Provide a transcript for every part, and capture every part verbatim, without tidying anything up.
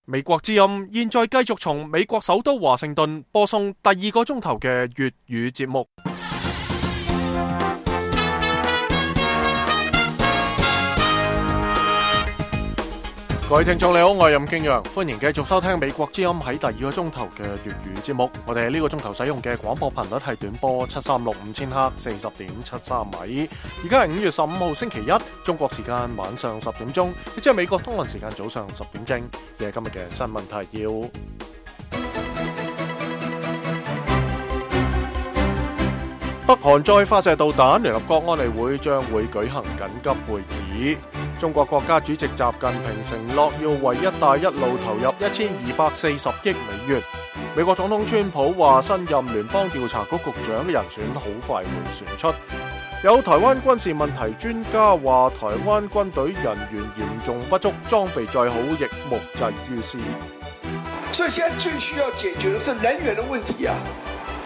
美國之音現在繼續從美國首都華盛頓播送第二個鐘頭嘅粵語節目。各位聽眾你好，我係任敬陽，歡迎繼續收聽美國之音喺第二個鐘頭嘅粵語節目。我哋呢個鐘頭使用嘅廣播頻率係短波七三六五千赫四十點七三米。而家係五月十五號星期一，中國時間晚上十點鐘，亦即係美國東岸時間早上十點正。嘅今日嘅新聞提要：北韓再發射導彈，聯合國安理會將會舉行緊急會議。中國國家主席習近平承諾要為一帶一路投入一千二百四十億美元。美國總統川普話新任聯邦調查局局長嘅人選好快會選出。有台灣軍事問題專家話台灣軍隊人員嚴重不足，裝備再好亦無濟於事。所以現在最需要解決的是人員的問題啊，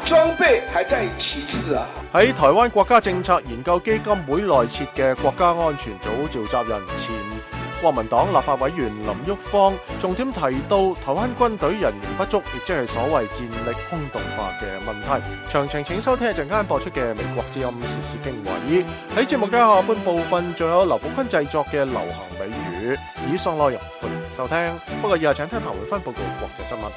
裝備還在其次啊。喺台灣國家政策研究基金會內設嘅國家安全組召集人前國民黨立法委員林旭芳重點提到台灣軍隊人員不足，亦即係所謂戰力空洞化嘅問題。詳情請收聽一陣間播出嘅美國之音時事經緯。喺節目嘅下半部分仲有劉寶坤製作嘅流行美語。以上內容歡迎收聽，不過以下請聽彭偉芬報告國際新聞。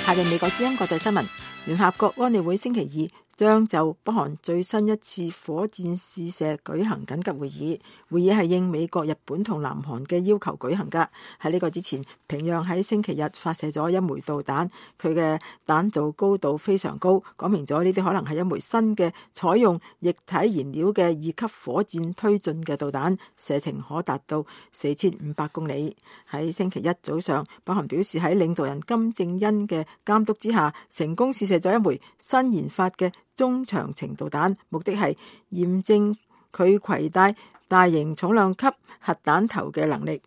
下面美國之音國際新聞，聯合國安理會星期二將就北韓最新一次火箭試射舉行緊急會議。會議係應美國、日本同南韓嘅要求舉行㗎。喺呢個之前，平壤喺星期日發射咗一枚導彈，佢嘅彈道高度非常高，講明咗呢啲可能係一枚新嘅採用液體燃料嘅二級火箭推進嘅導彈，射程可達到四千五百公里。喺星期一早上，北韓表示喺領導人金正恩嘅監督之下，成功試射咗一枚新研發嘅中長程導彈，目的係驗證佢攜帶大型重量級核彈頭嘅能力。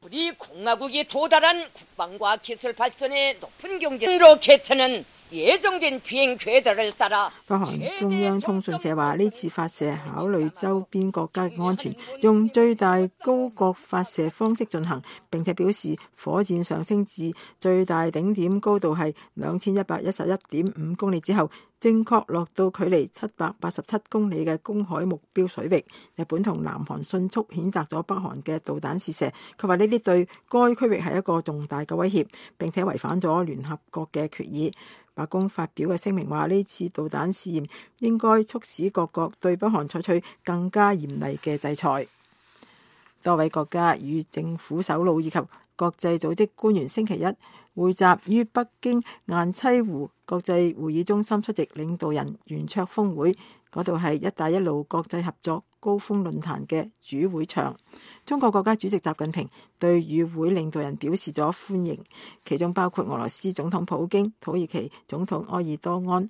우리 공화국이 도달한 국방과 기술 발전의 높은 경제 로켓은 예정된 비행 궤도를 따라。北韓中央通訊社話，呢次發射考慮周邊國家嘅安全，用最大高角發射方式進行，並且表示火箭上升至最大頂點高度係兩千一百一十一點五公里之後，正確落到距離七百八十七公里嘅公海目標水域。日本同南韓迅速譴責咗北韓嘅導彈試射，佢話呢啲對該區域係一個重大嘅威脅，並且違反咗聯合國嘅決議。白宮發表嘅聲明話，呢次導彈試驗應該促使各國對北韓採取更加嚴厲嘅制裁。多位國家與政府首腦以及國際組織官員星期一匯集於北京雁棲湖國際會議中心出席領導人圓桌峰會，嗰度係一帶一路國際合作高峰論壇嘅主會場。中國國家主席習近平對與會領導人表示咗歡迎，其中包括俄羅斯總統普京、土耳其總統埃爾多安、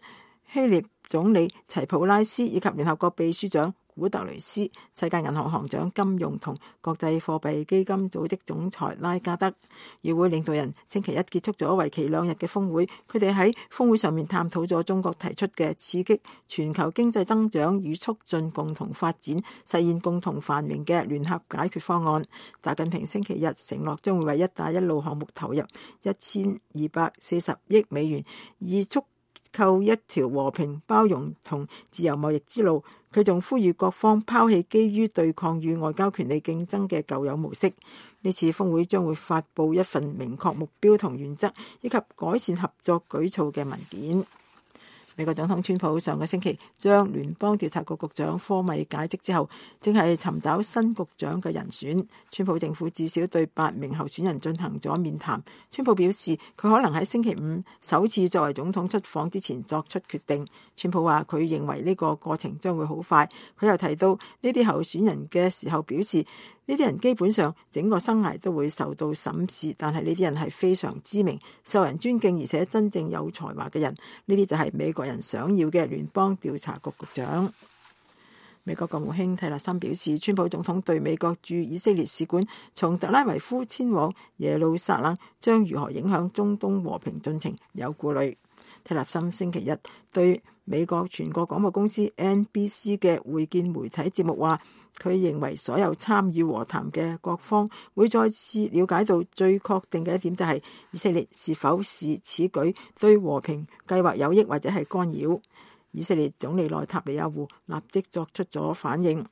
希臘總理齊普拉斯以及聯合國秘書長古特雷斯、世界銀行行長金融同國際貨幣基金組織總裁拉加德。與會領導人星期一結束咗為期兩日嘅峰會，佢哋喺峰會上面探討咗中國提出嘅刺激全球經濟增長與促進共同發展、實現共同繁榮嘅聯合解決方案。習近平星期日承諾將會為一帶一路項目投入一千二百四十億美元，以促構一條和平、包容同自由貿易之路。佢仲呼籲各方拋棄基於對抗與外交權力競爭嘅舊有模式。呢次峰會將會發布一份明確目標同原則，以及改善合作舉措嘅文件。美國總統川普上個星期將聯邦調查局局長科米解職之後，正係尋找新局長嘅人選。川普政府至少對八名候選人進行咗面談。川普表示佢可能喺星期五首次作為總統出訪之前作出決定。川普話佢認為呢個過程將會好快。佢又提到呢啲候選人嘅時候表示，呢啲人基本上整個生涯都會受到審視，但係呢啲人係非常知名、受人尊敬而且真正有才華嘅人。呢啲就係美國人想要嘅聯邦調查局局長。美國國務卿蒂勒森表示，川普總統對美國駐以色列使館從特拉維夫遷往耶路撒冷將如何影響中東和平進程有顧慮。蒂勒森星期日對美國全國廣播公司 N B C 嘅會見媒體節目話，佢認為所有參與和談嘅各方會再次了解到最確定嘅一點，就係以色列是否視此舉對和平計劃有益或者係干擾。以色列總理內塔尼亞胡立即作出咗反應。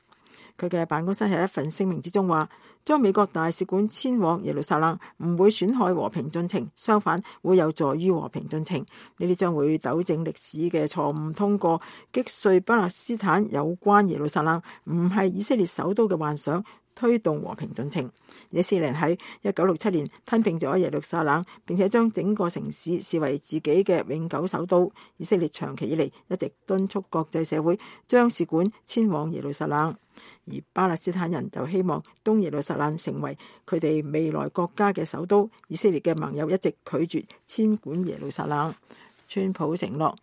佢嘅辦公室喺一份聲明之中話，將美國大使館遷往耶路撒冷唔會損害和平進程，相反會有助於和平進程。呢啲將會糾正歷史嘅錯誤，通過擊碎巴勒斯坦有關耶路撒冷唔係以色列首都嘅幻想，推動和平進程。以色列喺一九六七年吞併咗耶路撒冷，並且將整個城市視為自己嘅永久首都。以色列長期以嚟一直敦促國際社會將使館遷往耶路撒冷，而巴勒斯坦人就希望東耶路撒冷成為佢哋未來國家嘅首都。以色列嘅盟友一直拒絕遷管耶路撒冷。川普承諾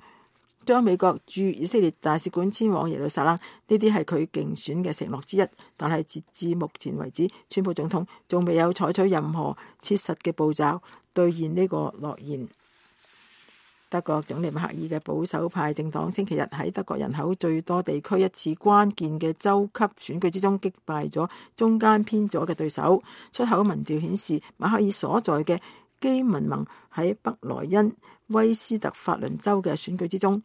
將美國駐以色列大使館遷往耶路撒冷，呢啲係佢競選嘅承諾之一。但係截至目前為止，川普總統仲未有採取任何切實嘅步驟兌現呢個諾言。德國總理默克爾嘅保守派政黨星期日喺德國人口最多地區一次關鍵嘅州級選舉之中擊敗咗中間偏左嘅對手。出口民調顯示，默克爾所在嘅基民盟喺北萊茵威斯特法倫州嘅選舉之中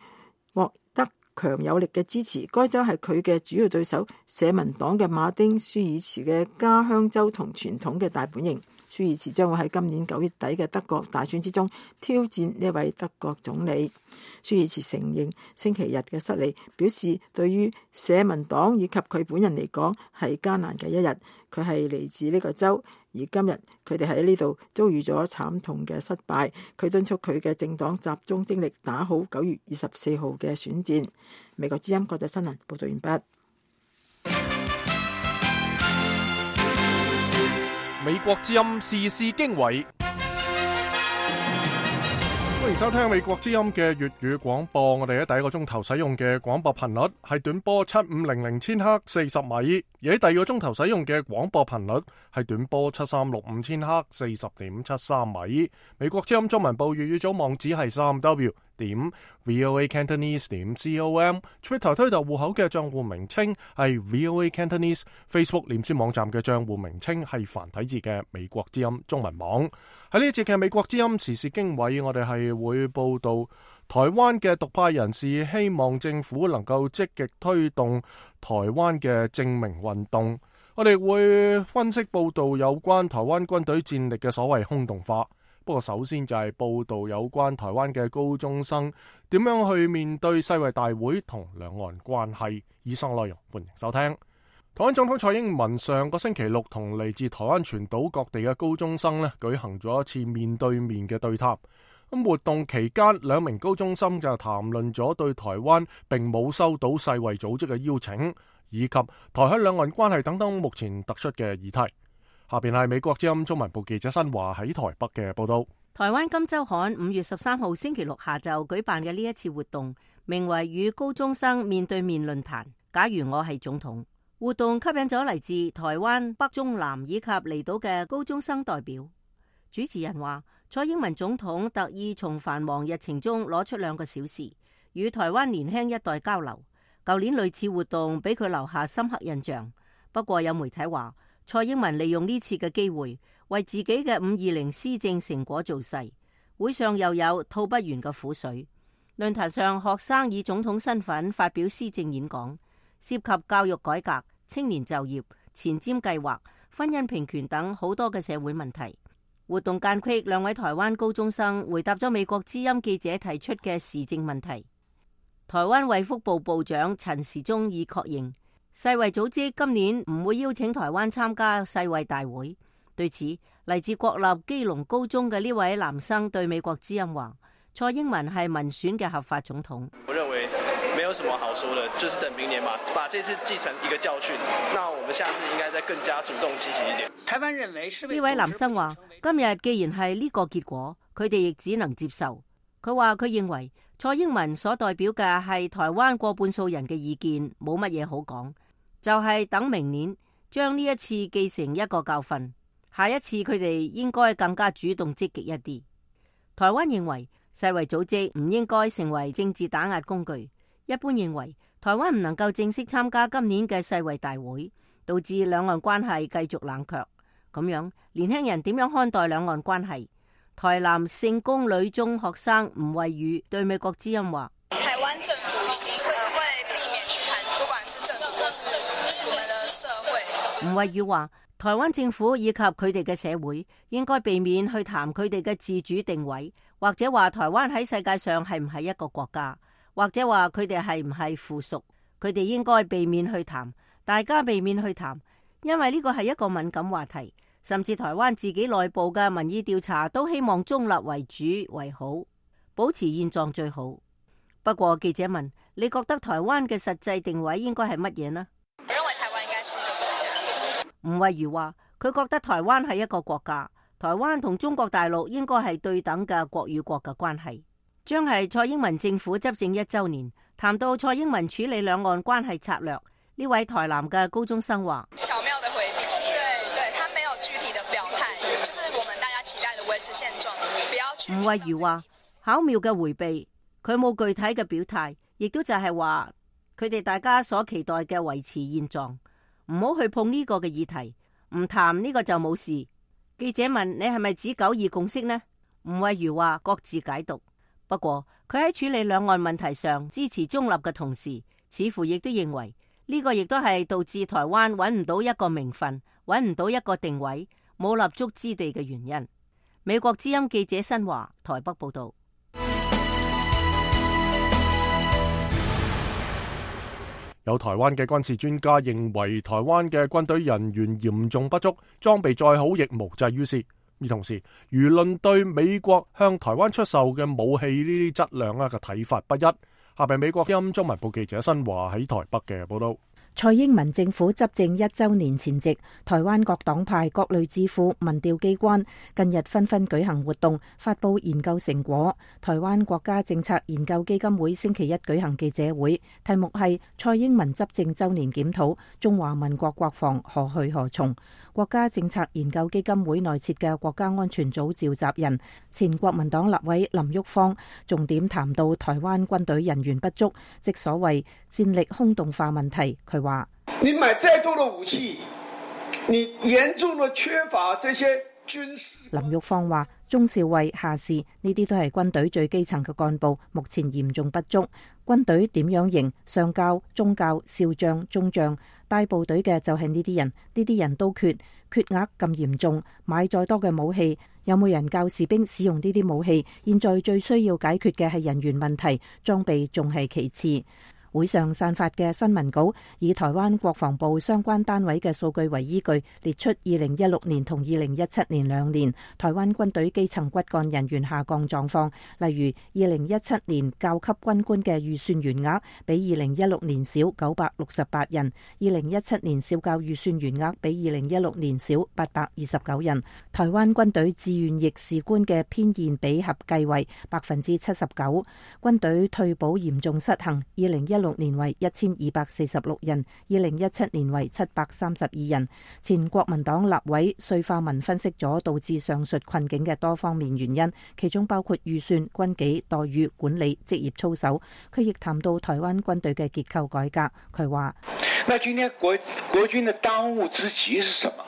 獲得強有力嘅支持。該州係佢嘅主要對手社民黨嘅馬丁舒爾茨嘅家鄉州同傳統嘅大本營。舒爾茨將會喺今年九月底嘅德國大選之中挑戰呢位德國總理。舒爾茨承認星期日嘅失利，表示對於社民黨以及佢本人嚟講係艱難嘅一日。佢係嚟自呢個州，而今日佢哋喺呢度遭遇咗慘痛嘅失敗。佢敦促佢嘅政黨集中精力打好九月二十四號嘅選戰。美國之音國際新聞報道完畢。美國之音時事經緯，歡迎收聽美國之音嘅粵語廣播。我哋喺第一個鐘頭使用嘅廣播頻率係短波七五零零千赫四十米，而喺第二個鐘頭使用嘅廣播頻率係短波七三六五千赫四十點七三米。美國之音中文部粵語組網址係三 W 點 VOA Cantonese 點 com，Twitter 推特戶口嘅賬戶名稱係 VOA Cantonese，Facebook 臉書網站嘅賬戶名稱係繁體字嘅美國之音中文網。喺呢一節嘅美國之音時事經緯，我哋係會報道台灣嘅獨派人士希望政府能夠積極推動台灣嘅正名運動。我哋會分析報道有關台灣軍隊戰力嘅所謂空洞化。不過首先就係報道有關台灣嘅高中生點樣去面對世衛大會同兩岸關係。以上內容歡迎收聽。台灣總統蔡英文上個星期六同嚟自台灣全島各地嘅高中生呢舉行咗一次面對面嘅對談。咁活動期間，兩名高中生就談論咗對台灣並冇收到世衛組織嘅邀請，以及台海兩岸關係等等目前突出嘅議題。下邊係美國之音中文部記者新華喺台北嘅報道。台灣金週刊五月十三號星期六下晝舉辦嘅呢一次活動，名為與高中生面對面論壇。假如我係總統，活動吸引咗嚟自台灣北中南以及離島嘅高中生代表。主持人話，蔡英文總統特意從繁忙日程中攞出兩個小時，與台灣年輕一代交流。舊年類似活動俾佢留下深刻印象。不過有媒體話，蔡英文利用呢次嘅機會，為自己嘅五二零施政成果造勢。會上又有吐不完嘅苦水。論壇上，學生以總統身份發表施政演講，涉及教育改革、青年就業、前瞻計劃、婚姻平權等好多嘅社會問題。活動間隙，兩位台灣高中生回答咗美國之音記者提出嘅時政問題。台灣衛福部部長陳時中已確認，世衛組織今年唔會邀請台灣參加世衛大會。對此，嚟自國立基隆高中嘅呢位男生對美國之音話，蔡英文係民選嘅合法總統。我認為沒有什麼好說的，就是等明年嘛，把這次記成一個教訓。那我們下次應該再更加主動積極一點。台灣認為是呢位男生話，今日既然係呢個結果，佢哋亦只能接受。佢話佢認為蔡英文所代表嘅係台灣過半數人嘅意見，冇乜嘢好講，就係等明年將呢一次記成一個教訓，下一次佢哋應該更加主動積極一啲。台灣認為世衛組織唔應該成為政治打壓工具。一般認為，台灣唔能夠正式參加今年嘅世衛大會，導致兩岸關係繼續冷卻。咁樣，年輕人點樣看待兩岸關係？台南聖公女中學生吳慧宇對美國之音話：台灣政府已經會避免去談，不管是政府或是我們的社會。吳慧宇話：台灣政府以及佢哋嘅社會應該避免去談佢哋嘅自主定位，或者話台灣喺世界上係唔係一個國家，或者話佢哋係唔係附屬。佢哋應該避免去談，大家避免去談，因為呢個係一個敏感話題。甚至台灣自己內部嘅民意調查都希望中立為主為好，保持現狀最好。不過記者問：你覺得台灣嘅實際定位應該係乜嘢呢？我認為台灣應該是一個國家。吳慧如話：佢覺得台灣係一個國家，台灣同中國大陸應該係對等嘅國與國嘅關係。將係蔡英文政府執政一週年，談到蔡英文處理兩岸關係策略，呢位台南嘅高中生話：巧妙的回避，對對，他沒有具體的表態，就是我們大家期待的維持現狀，不要去。吳慧如話：巧妙嘅回避，佢冇具體嘅表態，亦都就係話佢哋大家所期待嘅維持現狀，唔好去碰呢個嘅議題，唔談呢個就冇事。記者問：你係咪指九二共識呢？吳慧如話：各自解讀。不過佢喺處理兩岸問題上支持中立嘅同時，似乎亦都認為呢個亦都係導致台灣揾唔到一個名分，揾唔到一個定位，冇立足之地嘅原因。美國之音記者新華台北報道。有台灣嘅軍事專家認為，台灣嘅軍隊人員嚴重不足，裝備再好亦無濟於事。而同時，輿論對美國向台灣出售嘅武器呢啲質量啊嘅睇法不一。下邊美國之音中文部記者新華喺台北嘅報道。蔡英文政府執政一週年前夕，台灣各黨派、各類智庫、民調機關近日紛紛舉行活動，發佈研究成果。台灣國家政策研究基金會星期一舉行記者會，題目係蔡英文執政週年檢討，中華民國國防何去何從。國家政策研究基金會內設嘅國家安全組召集人、前國民黨立委林郁方重點談到台灣軍隊人員不足，即所謂戰力空洞化問題。佢話：你買再多的武器，你嚴重的缺乏這些軍事。林郁方話：中少尉、下士呢啲都係軍隊最基層嘅幹部，目前嚴重不足。軍隊點樣型？上校、中校、少將、中將，帶部隊嘅就係呢啲人，呢啲人都缺，缺額咁嚴重。買再多嘅武器，有冇人教士兵使用呢啲武器？現在最需要解決嘅係人員問題，裝備仲係其次。會上散發嘅新聞稿以台灣國防部相關單位嘅數據為依據，列出二零一六年同二零一七年兩年台灣軍隊基層骨幹人員下降狀況。例如，二零一七年教級軍官嘅預算員額比二零一六年少九百六十八人，二零一七年少教預算員額比二零一六年少八百二十九人。台灣軍隊志願役士官嘅偏現比合計為百分之七十九。軍隊退保嚴重失衡，二零一六年為一千二百四十六人，二零一七年為七百三十二人。前國民黨立委瑞化文分析咗導致上述困境嘅多方面原因，其中包括預算、軍紀、待遇、管理、職業操守。佢亦談到台灣軍隊嘅結構改革。佢話：那今天國國軍的當務之急是什麼？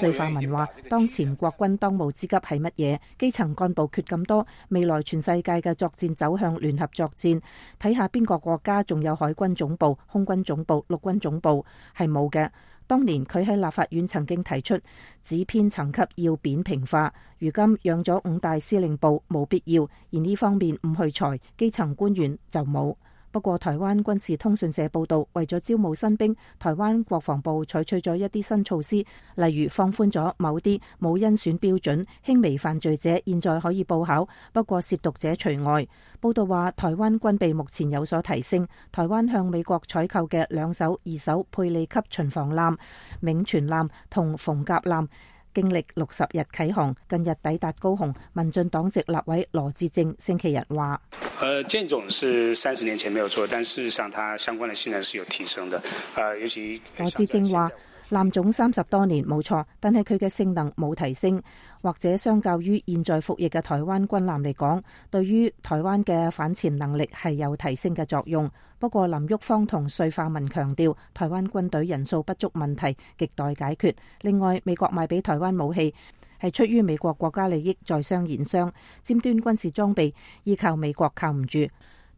瑞化文話：當前國軍當務之急係乜嘢？基層幹部缺咁多，未來全世界嘅作戰走向聯合作戰，睇下邊個國家仲有海軍總部、空軍總部、陸軍總部，係冇嘅。當年佢喺立法院曾經提出，指編層級要扁平化，如今養咗五大司令部，冇必要，而呢方面唔去裁，基層官員就冇。不過，台灣軍事通訊社報道，為咗招募新兵，台灣國防部採取咗一啲新措施，例如放寬咗某啲冇甄選標準、輕微犯罪者現在可以報考，不過褻瀆者除外。報道話，台灣軍備目前有所提升，台灣向美國採購嘅兩艘二手佩利級巡防艦、銘傳艦同逢甲艦，經歷六十日啟航，近日抵達高雄。民進黨籍立委羅致政星期日話：呃，艦種是三十年前沒有錯，但事實上它相關的性能是有提升的。呃，尤其羅致政話，艦種三十多年冇錯，但係佢嘅性能冇提升，或者相較於現在服役嘅台灣軍艦嚟講，對於台灣嘅反潛能力係有提升嘅作用。不過林旭芳同穗化文強調，台灣軍隊人數不足問題亟待解決。另外，美國賣俾台灣武器係出於美國國家利益，在商言商，尖端軍事裝備依靠美國靠唔住。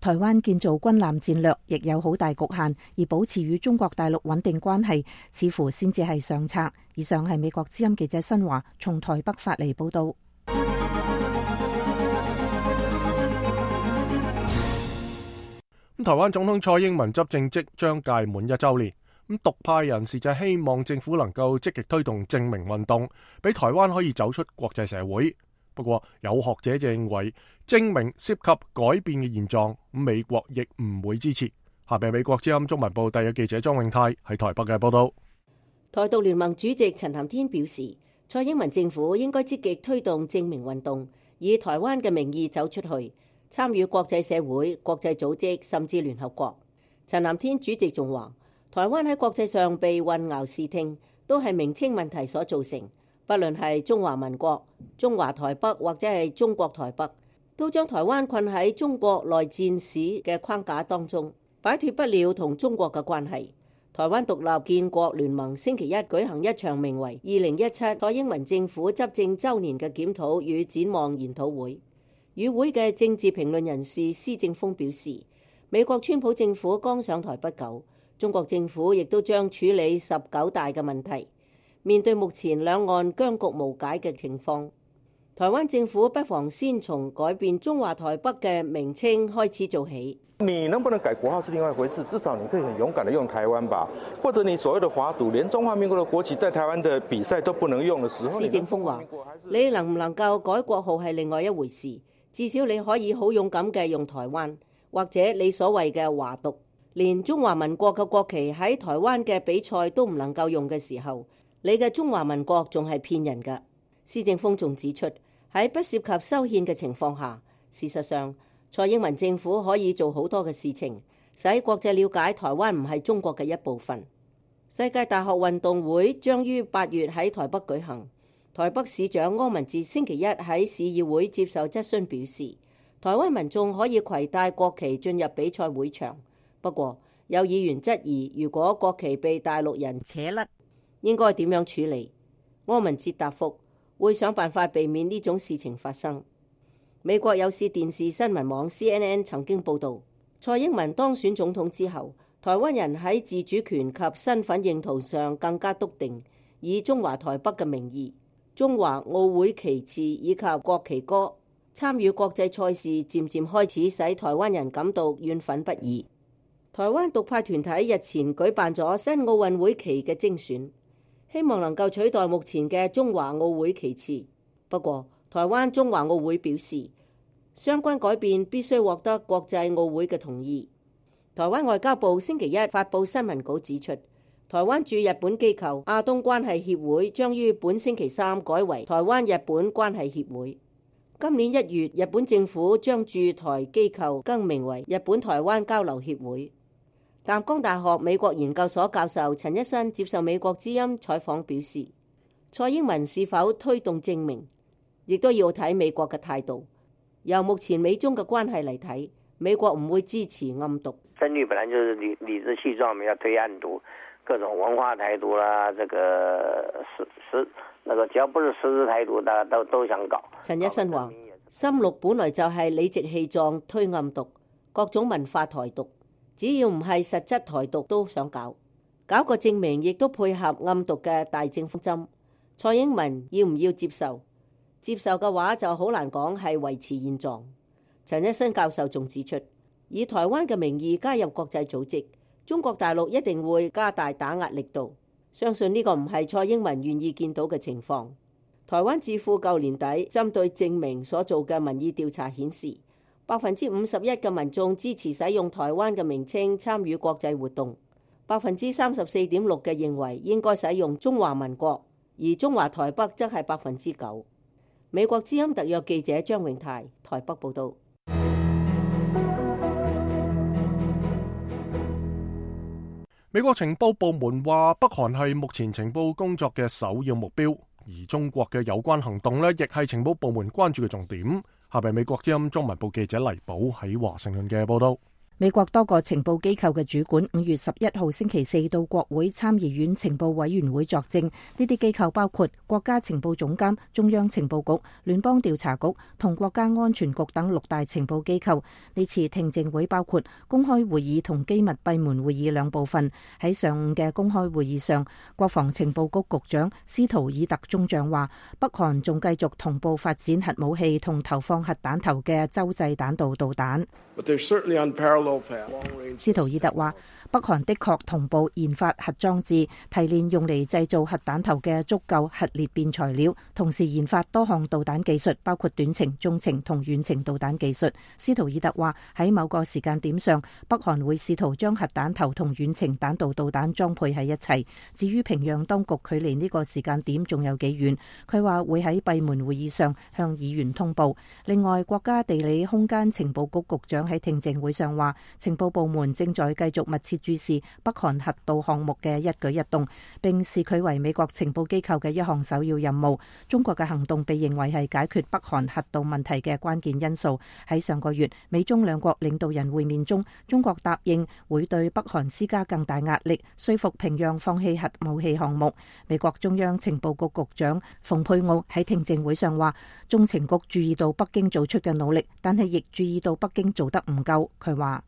台灣建造軍艦戰略亦有好大局限，而保持與中國大陸穩定關係，似乎先至係上策。以上係美國之音記者新華從台北發嚟報道。台灣總統蔡英文執政即將屆滿一週年，咁獨派人士就希望政府能夠積極推動正名運動，俾台灣可以走出國際社會。不過有學者就認為正名涉及改變嘅現狀，美國亦唔會支持。下邊美國之音中文部第一記者莊永泰喺台北嘅報道。台獨聯盟主席陳涵天表示，蔡英文政府應該積極推動正名運動，以台灣嘅名義走出去，參與國際社會、國際組織甚至聯合國。陳涵天主席仲話，台灣喺國際上被混淆視聽，都係名稱問題所造成。不論係中華民國、中華台北或者係中國台北，都將台灣困喺中國內戰史嘅框架當中，擺脫不了同中國嘅關係。台灣獨立建國聯盟星期一舉行一場名為二零一七蔡英文政府執政週年嘅檢討與展望研討會。與會嘅政治評論人士施正峰表示，美國川普政府剛上台不久，中國政府亦都將處理十九大嘅問題。面對目前兩岸僵局無解嘅情況，台灣政府不妨先從改變中華台北嘅名稱開始做起。你能不能改國號是另外一回事，至少你可以很勇敢地用台灣吧，或者你所謂的華獨，連中華民國的國旗在台灣的比賽都不能用的時候，施正峰話：你能唔能夠改國號係另外一回事，至少你可以好勇敢嘅用台灣，或者你所謂嘅華獨，連中華民國嘅國旗喺台灣嘅比賽都唔能夠用嘅時候，你嘅中華民國仲係騙人㗎。施正峰仲指出，喺不涉及修憲嘅情況下，事實上蔡英文政府可以做好多嘅事情，使國際了解台灣唔係中國嘅一部分。世界大學運動會將於八月喺台北舉行。台北市長柯文哲星期一喺市議會接受質詢表示，台灣民眾可以攜帶國旗進入比賽會場，不過有議員質疑，如果國旗被大陸人扯甩，應該點樣處理？柯文哲答覆，會想辦法避免呢種事情發生。美國有線電視新聞網 C N N 曾經報導，蔡英文當選總統之後，台灣人喺自主權及身份認同上更加篤定，以中華台北嘅名義、中華奧會旗幟以及國旗歌參與國際賽事，漸漸開始使台灣人感到怨憤不已。台灣獨派團體日前舉辦咗新奧運會旗嘅精選，希望能夠取代目前嘅中華奧會旗幟。不過，台灣中華奧會表示，相關改變必須獲得國際奧會嘅同意。台灣外交部星期一發布新聞稿指出，台灣駐日本機構亞東關係協會將於本星期三改為台灣日本關係協會。今年一月，日本政府將駐台機構更名為日本台灣交流協會。淡江大學美國研究所教授陳一新接受美國之音採訪表示，蔡英文是否推動正名，亦都要睇美國嘅態度。由目前美中嘅關係嚟睇，美國唔會支持暗獨。深綠本來就是理理直氣壯，要推暗獨，各種文化台獨啦，這個實實那個只要不是實質台獨，大家都都想搞。陳一新話，深綠本來就係理直氣壯推暗獨，各種文化台獨，只要唔係實質台獨都想搞，搞個正名亦都配合暗獨嘅大政方針。蔡英文要唔要接受？接受嘅話就好難講係維持現狀。陳一新教授仲指出，以台灣嘅名義加入國際組織，中國大陸一定會加大打壓力度。相信呢個唔係蔡英文願意見到嘅情況。台灣智庫舊年底針對正名所做嘅民意調查顯示，百分之五十一嘅民眾支持使用台灣嘅名稱參與國際活動，百分之三十四點六嘅認為應該使用中華民國，而中華台北則係百分之九。美國之音特約記者張永泰台北報道。美國情報部門話，北韓係目前情報工作嘅首要目標，而中國嘅有關行動呢，亦係情報部門關注嘅重點。下邊美國之音中文部記者黎寶喺華盛頓嘅報道。美國多個情報機構嘅主管五月十一號星期四到國會參議院情報委員會作證，呢啲機構包括國家情報總監、中央情報局、聯邦調查局同國家安全局等六大情報機構。呢次聽證會包括公開會議同機密閉門會議兩部分。喺上午嘅公開會議上，國防情報局局長斯圖爾特中將話，北韓仲繼續同步發展核武器同投放核彈頭嘅洲際彈道導彈。斯圖爾特話，北韓的確同步研發核裝置，提煉用嚟製造核彈頭嘅足夠核裂變材料，同時研發多項導彈技術，包括短程、中程同遠程導彈技術。斯圖爾特話，喺某個時間點上，北韓會試圖將核彈頭同遠程彈道導彈裝配喺一齊。至於平壤當局距離呢個時間點仲有幾遠，佢話會喺閉門會議上向議員通報。另外，國家地理空間情報局局長喺聽證會上話，情報部門正在繼續密切注視北韓核導項目嘅一舉一動，並視佢為美國情報機構嘅一項首要任務。中國嘅行動被認為係解決北韓核導問題嘅關鍵因素。喺上個月美中兩國領導人會面中，中國答應會對北韓施加更大壓力，說服平壤放棄核武器項目。美國中央情報局局長蓬佩奧喺聽證會上話，中情局注意到北京做出嘅努力，但係亦注意到北京做得唔夠。佢話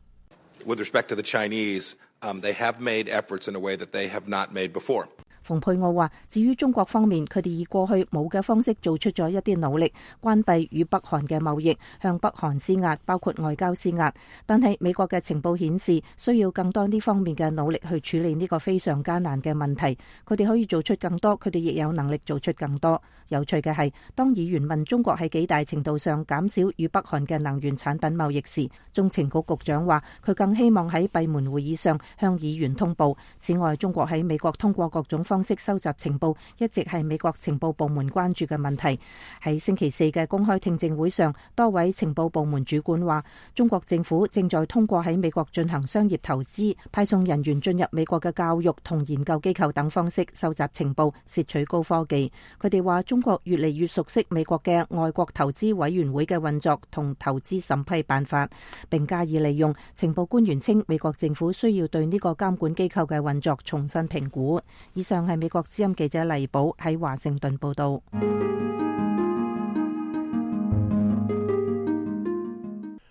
With respect to the Chinese, um, they have made efforts in a way that they have not made before. 蓬佩奧話，至於中國方面，佢哋以過去冇嘅方式做出咗一啲努力，關閉與北韓嘅貿易，向北韓施壓，包括外交施壓。但係美國嘅情報顯示，需要更多呢方面嘅努力去處理呢個非常艱難嘅問題。佢哋可以做出更多，佢哋亦有能力做出更多。有趣嘅係，當議員問中國喺幾大程度上減少與北韓嘅能源產品貿易時，中情局局長話佢更希望喺閉門會議上向議員通報。此外，中國喺美國通過各種方式收集情報，一直係美國情報部門關注嘅問題。喺星期四嘅公開聽證會上，多位情報部門主管話，中國政府正在通過喺美國進行商業投資、派送人員進入美國嘅教育同研究機構等方式收集情報，竊取高科技。佢哋話中國越嚟越熟悉美國嘅外國投資委員會嘅運作同投資審批辦法，並加以利用。情報官員稱，美國政府需要對呢個監管機構嘅運作重新評估。以上係美國之音記者黎寶喺華盛頓報道。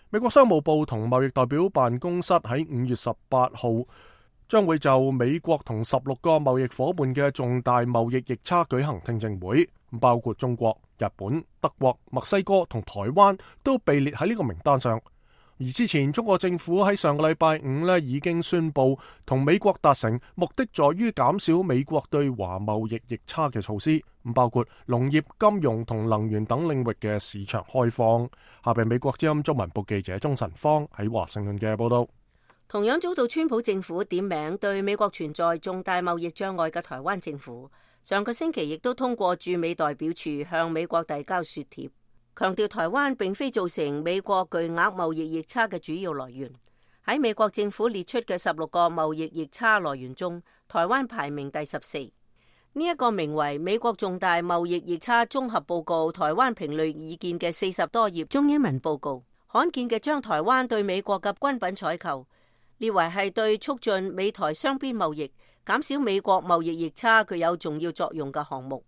美國商務部同貿易代表辦公室喺五月十八號將會就美國同十六個貿易夥伴嘅重大貿易逆差舉行聽證會，包括中國、日本、德國、墨西哥同台灣都被列喺呢個名單上。而之前中國政府喺上個禮拜五呢已經宣布同美國達成目的在於減少美國對華貿易逆差嘅措施，包括農業、金融同能源等領域嘅市場開放。下邊美國之音中文部記者鍾晨芳喺華盛頓嘅報道。同樣遭到川普政府點名對美國存在重大貿易障礙嘅台灣政府，上個星期亦都通過駐美代表處向美國遞交說帖，強調台灣並非造成美國巨額貿易逆差嘅主要來源。喺美國政府列出嘅十六個貿易逆差來源中，台灣排名第十四。呢一個名為《美國重大貿易逆差綜合報告》台灣評論意見嘅四十多頁中英文報告，罕見嘅將台灣對美國嘅軍品採購列為係對促進美台雙邊貿易、減少美國貿易逆差具有重要作用嘅項目。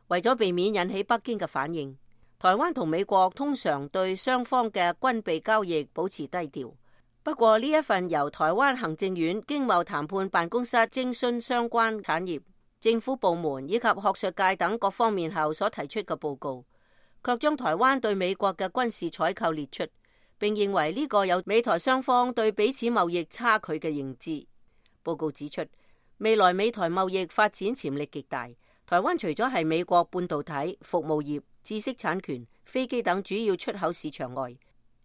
為咗避免引起北京嘅反應，台灣同美國通常對雙方嘅軍備交易保持低調。不過呢一份由台灣行政院經貿談判辦公室徵詢相關產業、政府部門以及學術界等各方面後所提出嘅報告，卻將台灣對美國嘅軍事採購列出，並認為呢個有美台雙方對彼此貿易差距嘅認知。報告指出，未來美台貿易發展潛力極大。台灣除咗係美國半導體、服務業、知識產權、飛機等主要出口市場外，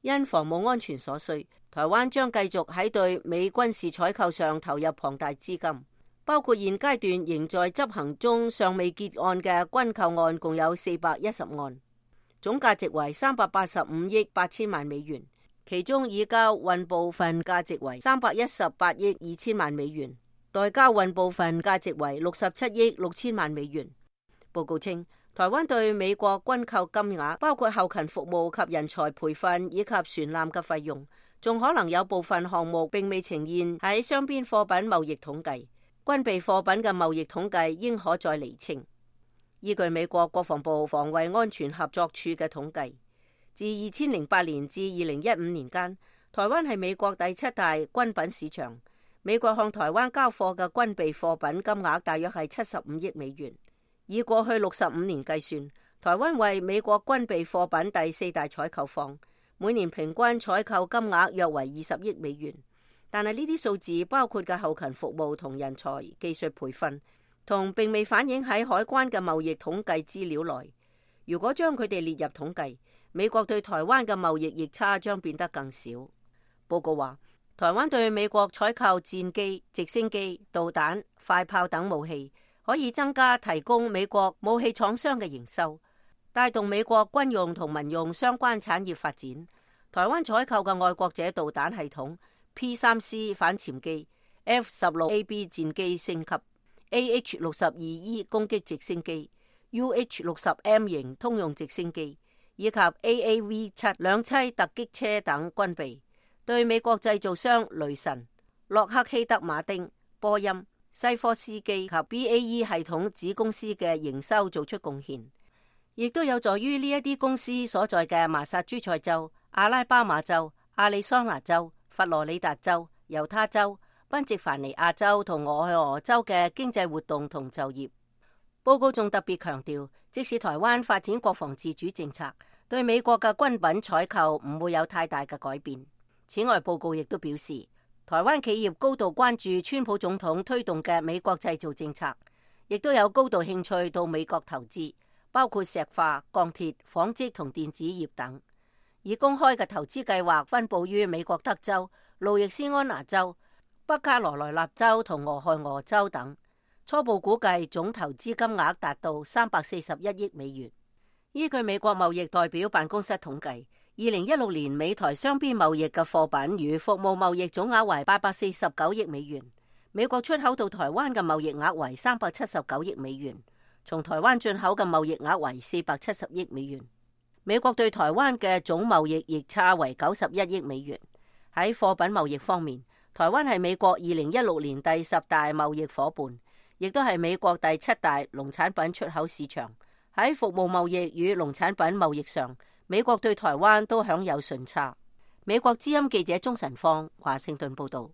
因防務安全所需，台灣將繼續喺對美軍事採購上投入龐大資金，包括現階段仍在執行中尚未結案嘅軍購案，共有四百一十案，總價值為三百八十五億八千萬美元，其中已交運部分價值為三百一十八億二千萬美元。待交運部分價值為六十七億六千萬美元。報告稱，台灣對美國軍購金額，包括後勤服務及人才培訓以及船艦嘅費用，仲可能有部分項目並未呈現喺雙邊貨品貿易統計。軍備貨品嘅貿易統計應可再釐清。依據美國國防部防衛安全合作處嘅統計，自二千零八年至二零一五年間，台灣係美國第七大軍品市場。美國向台灣交貨嘅軍備貨品金額大約係七十五億美元。以過去六十五年計算，台灣為美國軍備貨品第四大採購方，每年平均採購金額約為二十億美元。但係呢啲數字包括嘅後勤服務同人才技術培訓，同並未反映喺海關嘅貿易統計資料內。如果將佢哋列入統計，美國對台灣嘅貿易逆差將變得更少。報告話，台灣對美國採購戰機、直升機、導彈、快炮等武器，可以增加提供美國武器廠商嘅營收，帶動美國軍用同民用相關產業發展。台灣採購嘅愛國者導彈系統、P 三 C 反潛機、F 十六 A B 戰機升級、A H 六十二 E 攻擊直升機、U H 六十 M 型通用直升機以及 A A V 七兩棲突擊車等軍備，對美國製造商雷神、洛克希德馬丁、波音、西科斯基及 B A E 系統子公司嘅營收做出貢獻，亦都有助於呢一啲公司所在嘅麻薩諸塞州、阿拉巴馬州、亞利桑那州、佛羅里達州、猶他州、賓夕凡尼亞州同俄亥俄州嘅經濟活動同就業。報告仲特別強調，即使台灣發展國防自主政策，對美國嘅軍品採購唔會有太大嘅改變。此外，報告亦都表示，台灣企業高度關注川普總統推動嘅美國製造政策，亦都有高度興趣到美國投資，包括石化、鋼鐵、紡織同電子業等。以公開嘅投資計劃分佈於美國德州、路易斯安那州、北卡羅來納州同俄亥俄州等。初步估計總投資金額達到三百四十一億美元。依據美國貿易代表辦公室統計，二零一六年美台雙邊貿易嘅貨品與服務貿易總額為八百四十九億美元。美國出口到台灣嘅貿易額為三百七十九億美元，從台灣進口嘅貿易額為四百七十億美元。美國對台灣嘅總貿易逆差為九十一億美元。喺貨品貿易方面，台灣係美國二零一六年第十大貿易夥伴，亦都係美國第七大農產品出口市場。喺服務貿易與農產品貿易上，美國對台灣都享有順差。美國之音記者鍾晨芳華盛頓報道。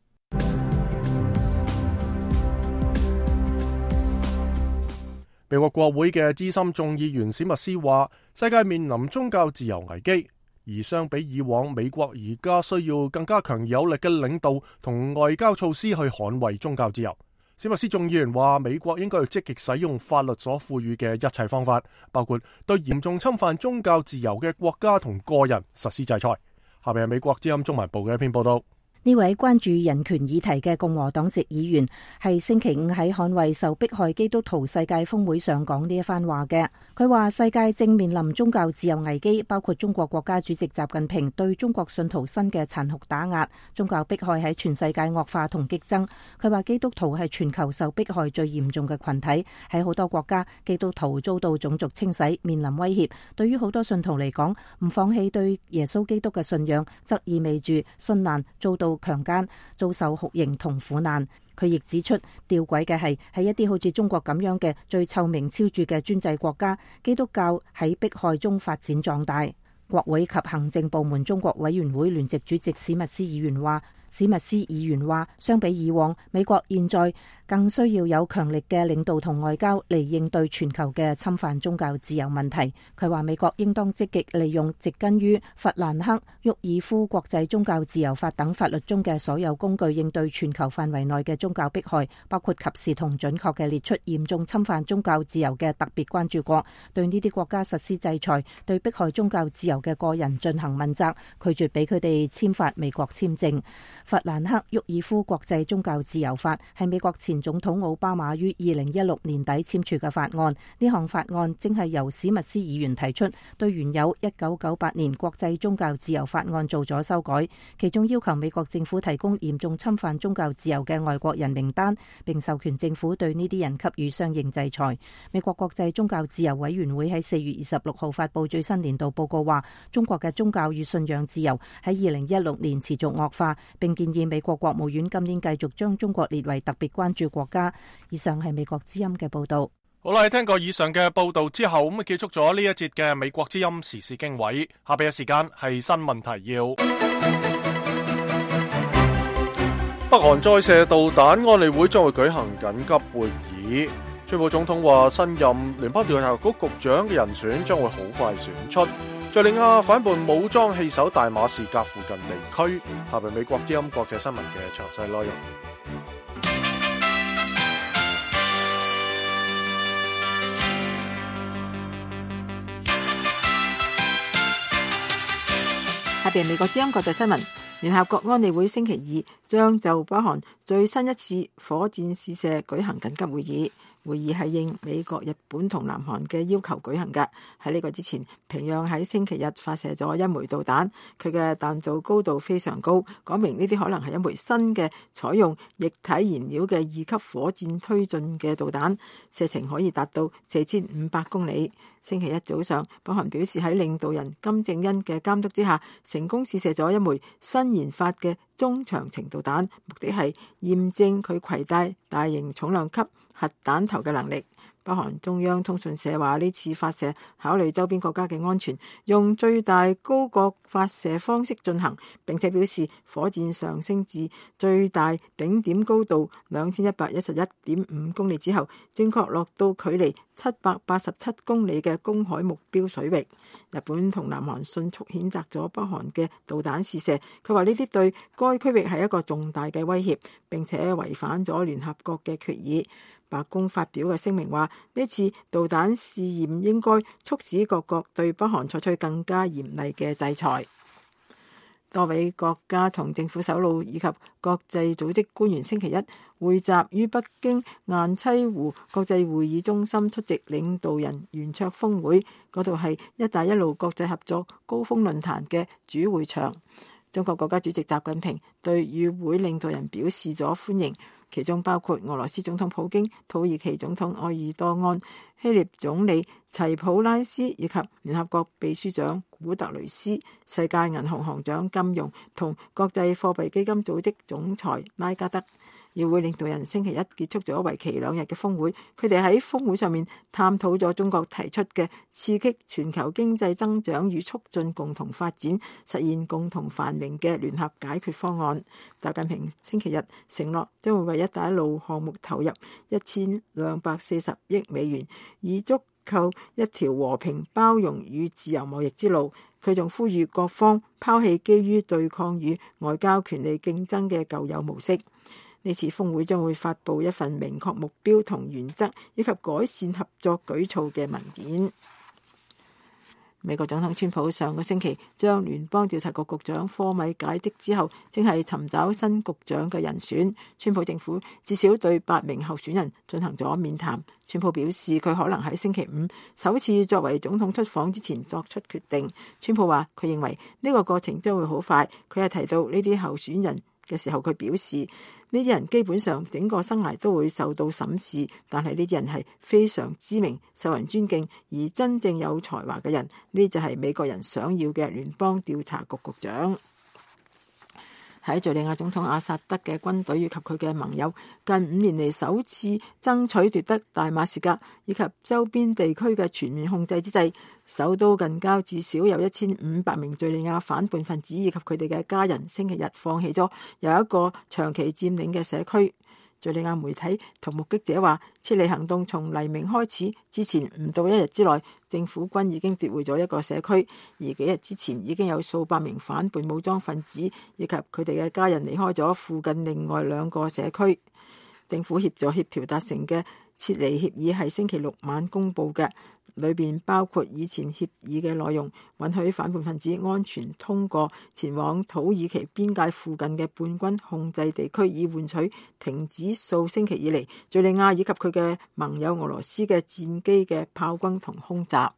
美國國會嘅資深眾議員史密斯話，世界面臨宗教自由危機，而相比以往，美國而家需要更加強有力嘅領導同外交措施去捍衛宗教自由。史密斯眾議員話，美國應該要積極使用法律所賦予嘅一切方法，包括對嚴重侵犯宗教自由嘅國家同個人實施制裁。下面係美國之音中文部嘅一篇報道。呢位關注人權議題嘅共和黨籍議員係星期五喺捍衛受迫害基督徒世界峰會上講呢一番話嘅。佢話世界正面臨宗教自由危機，包括中國國家主席習近平對中國信徒新嘅殘酷打壓，宗教迫害喺全世界惡化同激增。佢話基督徒係全球受迫害最嚴重嘅群體，喺好多國家基督徒遭到種族清洗，面臨威脅。對於好多信徒嚟講，唔放棄對耶穌基督嘅信仰，則意味住殉難，遭到強姦，遭受酷刑同苦難。佢亦指出，弔詭嘅係喺一啲好似中國咁樣嘅最臭名昭著嘅專制國家，基督教喺迫害中發展壯大。國會及行政部門中國委員會聯席主席史密斯議員話，史密斯議員話，相比以往，美國現在更需要有強力嘅領導同外交嚟應對全球嘅侵犯宗教自由問題。佢話美國應當積極利用植根於弗蘭克·沃爾夫國際宗教自由法等法律中嘅所有工具，應對全球範圍內嘅宗教迫害，包括及時同準確嘅列出嚴重侵犯宗教自由嘅特別關注國，對呢啲國家實施制裁，對迫害宗教自由嘅個人進行問責，拒絕俾佢哋簽發美國簽證。法蘭克沃爾夫國際宗教自由法係美國前總統奧巴馬於二零一六年底簽署嘅法案。呢項法案正係由史密斯議員提出，對原有一九九八年國際宗教自由法案做咗修改，其中要求美國政府提供嚴重侵犯宗教自由嘅外國人名單，並授權政府對呢啲人給予相應制裁。美國國際宗教自由委員會喺四月二十六號發布最新年度報告，話中國嘅宗教與信仰自由喺二零一六年持續惡化，並建議美國國務院今年繼續將中國列為特別關注國家。以上係美國之音嘅報道。好啦，聽過以上嘅報道之後，咁啊結束咗呢一節嘅美國之音時事經緯。下邊嘅時間係新聞提要。北韓再射導彈，安理會將會舉行緊急會議。川普總統話，新任聯邦調查局局長嘅人選將會好快選出。敘利亞反叛武裝棄守大馬士革附近地區。下邊美國之音國際新聞嘅詳細內容。下邊美國之音國際新聞。聯合國安理會星期二將就北韓最新一次火箭試射舉行緊急會議。會議係應美國、日本同南韓嘅要求舉行嘅。喺呢個之前，平壤喺星期日發射咗一枚導彈，佢嘅彈道高度非常高，講明呢啲可能係一枚新嘅採用液體燃料嘅二級火箭推進嘅導彈，射程可以達到四千五百公里。星期一早上，北韓表示喺領導人金正恩嘅監督之下，成功試射咗一枚新研發嘅中長程導彈，目的係驗證佢攜帶大型重量級核彈頭嘅能力。北韓中央通訊社話，呢次發射考慮周邊國家嘅安全，用最大高角發射方式進行，並且表示火箭上升至最大頂點高度兩千一百一十一點五公里之後，正確落到距離七百八十七公里嘅公海目標水域。日本同南韓迅速譴責咗北韓嘅導彈試射，佢話呢啲對該區域係一個重大嘅威脅，並且違反咗聯合國嘅決議。白宮發表嘅聲明話，呢次導彈試驗應該促使各國對北韓採取更加嚴厲嘅制裁。多位國家同政府首腦以及國際組織官員星期一匯集於北京雁棲湖國際會議中心出席領導人圓桌峰會，嗰度係一帶一路國際合作高峰論壇嘅主會場。中國國家主席習近平對與會領導人表示咗歡迎，其中包括俄羅斯總統普京、土耳其總統埃爾多安、希臘總理齊普拉斯以及聯合國秘書長古特雷斯、世界銀行行長金融同國際貨幣基金組織總裁拉加德。與會領導人星期一結束咗為期兩日嘅峰會，佢哋喺峰會上面探討咗中國提出嘅刺激全球經濟增長與促進共同發展、實現共同繁榮嘅聯合解決方案。習近平星期日承諾將會為一帶一路項目投入一千兩百四十億美元，以足構一條和平、包容與自由貿易之路。佢仲呼籲各方拋棄基於對抗與外交權利競爭嘅舊有模式。呢次峰會將會發布一份明確目標同原則以及改善合作舉措嘅文件。美國總統川普上個星期將聯邦調查局局長科米解職之後，正係尋找新局長嘅人選。川普政府至少對八名候選人進行咗面談。川普表示佢可能喺星期五首次作為總統出訪之前作出決定。川普話佢認為呢個過程將會好快。佢係提到呢啲候選人嘅時候，佢表示呢啲人基本上整個生涯都會受到審視，但係呢啲人係非常知名、受人尊敬而真正有才華嘅人。呢就係美國人想要嘅聯邦調查局局長。喺敘利亞總統阿薩德嘅軍隊以及佢嘅盟友近五年嚟首次爭取奪得大馬士革以及周邊地區嘅全面控制之際，首都近郊至少有一千五百名敘利亞反叛分子以及佢哋嘅家人星期日放棄咗有一個長期佔領嘅社區。敘利亞媒體同目擊者話，撤離行動從黎明開始之前唔到一日之內，政府軍已經奪回咗一個社區，而幾日之前已經有數百名反叛武裝分子以及佢哋嘅家人離開咗附近另外兩個社區。政府協助協調達成嘅撤離協議係星期六晚公佈嘅，裏邊包括以前協議嘅內容，允許反叛分子安全通過前往土耳其邊界附近嘅叛軍控制地區，以換取停止數星期以嚟敘利亞以及佢嘅盟友俄羅斯嘅戰機嘅炮轟同空襲。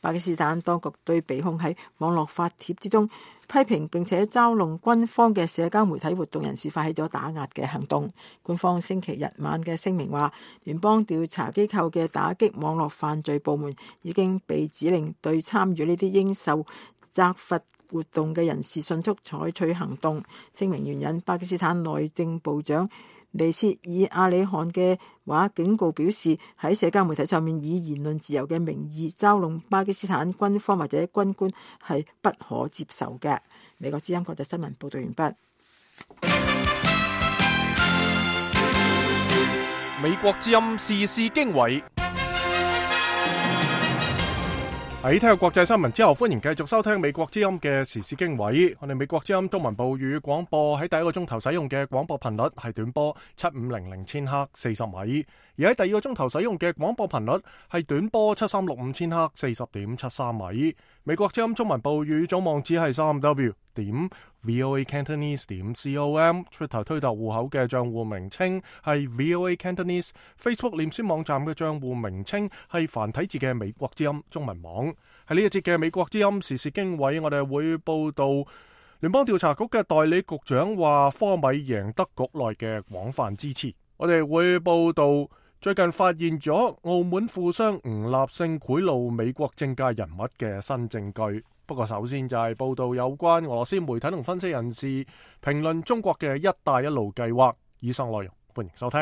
巴基斯坦當局對被控喺網絡發帖之中批評並且嘲弄軍方嘅社交媒體活動人士發起咗打壓嘅行動。官方星期日晚嘅聲明話，聯邦調查機構嘅打擊網絡犯罪部門已經被指令對參與呢啲應受責罰活動嘅人士迅速採取行動。聲明援引巴基斯坦內政部長尼切爾阿里汗嘅話，警告表示喺社交媒體上面以言論自由嘅名義嘲弄巴基斯坦軍方或者軍官係不可接受嘅。美國之音國際新聞報道完畢。美國之音時事經緯。喺聽日國際新聞之後，歡迎繼續收聽美國之音嘅時事經緯。我哋美國之音中文部語廣播喺第一個鐘頭使用嘅廣播頻率係短波七五零零千赫四十米，而喺第二個鐘頭使用嘅廣播頻率係短波七三六五千赫四十點七三米。美國之音中文部語總網址係三 w 點 voa cantonese 點 com，Twitter 推特戶口嘅賬戶名稱係 voa cantonese，Facebook 臉書網站嘅賬戶名稱係繁體字嘅美國之音中文網。喺呢一節嘅美國之音時事經緯，我哋會報道聯邦調查局嘅代理局長話科米贏得局內嘅廣泛支持。我哋會報道最近發現咗澳門富商吳立勝賄賂美國政界人物嘅新證據。不過首先就係報道有關俄羅斯媒體同分析人士評論中國嘅一帶一路計劃。以上內容歡迎收聽。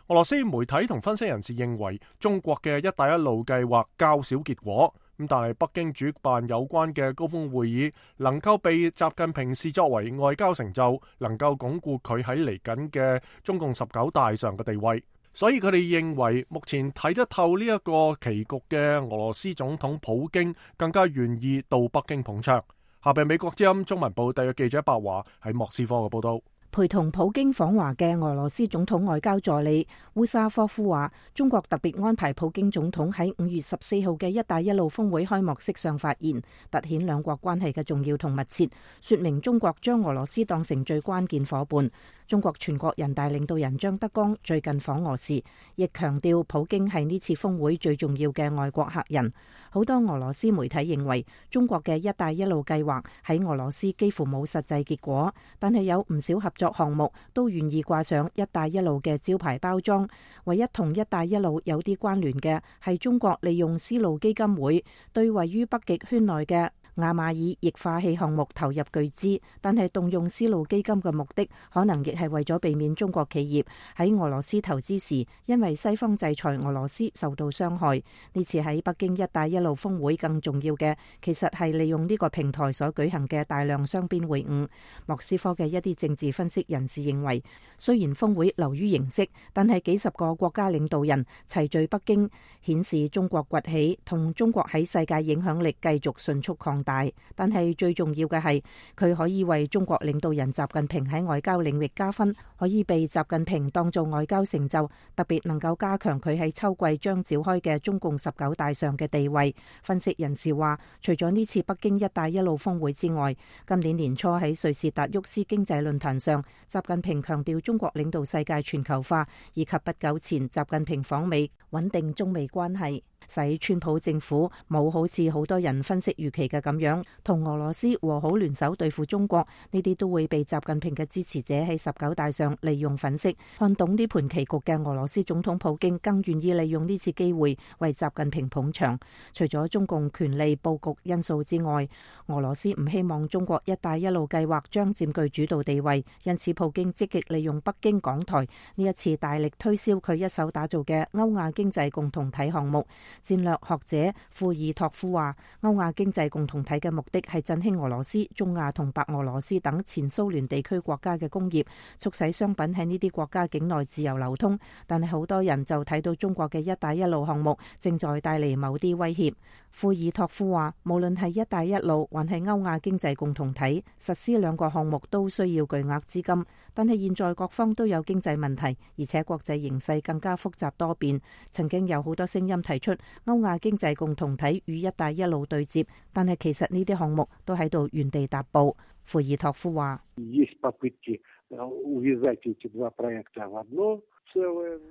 俄羅斯媒體同分析人士認為中國嘅一帶一路計劃較少結果，咁但係北京主辦有關嘅高峰會議能夠被習近平視作為外交成就，能夠鞏固佢喺嚟緊嘅中共十九大上嘅地位。所以佢哋認為目前睇得透呢一個棋局嘅俄羅斯總統普京更加願意到北京捧場。下邊美國之音中文部特約記者白華喺莫斯科嘅報道。陪同普京訪華嘅俄羅斯總統外交助理烏沙科夫話，中國特別安排普京總統喺五月十四號嘅一帶一路峰會開幕式上發言，凸顯兩國關係嘅重要同密切，說明中國將俄羅斯當成最關鍵夥伴。中國全國人大領導人張德江最近訪俄時，亦強調普京係呢次峰會最重要嘅外國客人。好多俄羅斯媒體認為，中國嘅一帶一路計劃喺俄羅斯幾乎冇實際結果，但係有唔少合作項目都願意掛上一帶一路嘅招牌包裝。唯一同一帶一路有啲關聯嘅係中國利用絲路基金會對位於北極圈內嘅亞馬爾液化氣項目投入巨資，但係動用絲路基金嘅目的可能亦係為咗避免中國企業喺俄羅斯投資時因為西方制裁俄羅斯受到傷害。呢次喺北京一帶一路峰會更重要嘅，其實係利用呢個平台所舉行嘅大量雙邊會晤。莫斯科嘅一啲政治分析人士認為，雖然峰會流於形式，但係幾十個國家領導人齊聚北京，顯示中國崛起同中國喺世界影響力繼續迅速擴大。大，但係最重要嘅係佢可以為中國領導人習近平喺外交領域加分，可以被習近平當做外交成就，特別能夠加強佢喺秋季將召開嘅中共十九大上嘅地位。分析人士話，除咗呢次北京一帶一路峰會之外，今年年初喺瑞士達沃斯經濟論壇上，習近平強調中國領導世界全球化，以及不久前習近平訪美穩定中美關係，使川普政府冇好似好多人分析預期嘅咁樣同俄羅斯和好聯手對付中國，呢啲都會被習近平嘅支持者喺十九大上利用粉飾。看懂呢盤棋局嘅俄羅斯總統普京更願意利用呢次機會為習近平捧場。除咗中共權力佈局因素之外，俄羅斯唔希望中國一帶一路計劃將佔據主導地位，因此普京積極利用北京港台呢一次大力推銷佢一手打造嘅歐亞經濟共同體項目。戰略學者庫爾托夫話，歐亞經濟共同體嘅目的係振興俄羅斯、中亞同白俄羅斯等前蘇聯地區國家嘅工業，促使商品喺呢啲國家境內自由流通。但係好多人就睇到中國嘅一帶一路項目正在帶嚟某啲威脅。庫爾托夫話，無論係一帶一路還係歐亞經濟共同體，實施兩個項目都需要巨額資金，但係現在各方都有經濟問題，而且國際形勢更加複雜多變。曾經有好多聲音提出歐亞經濟共同體與一帶一路對接，但係其實呢啲項目都喺度原地踏步。庫爾托夫話。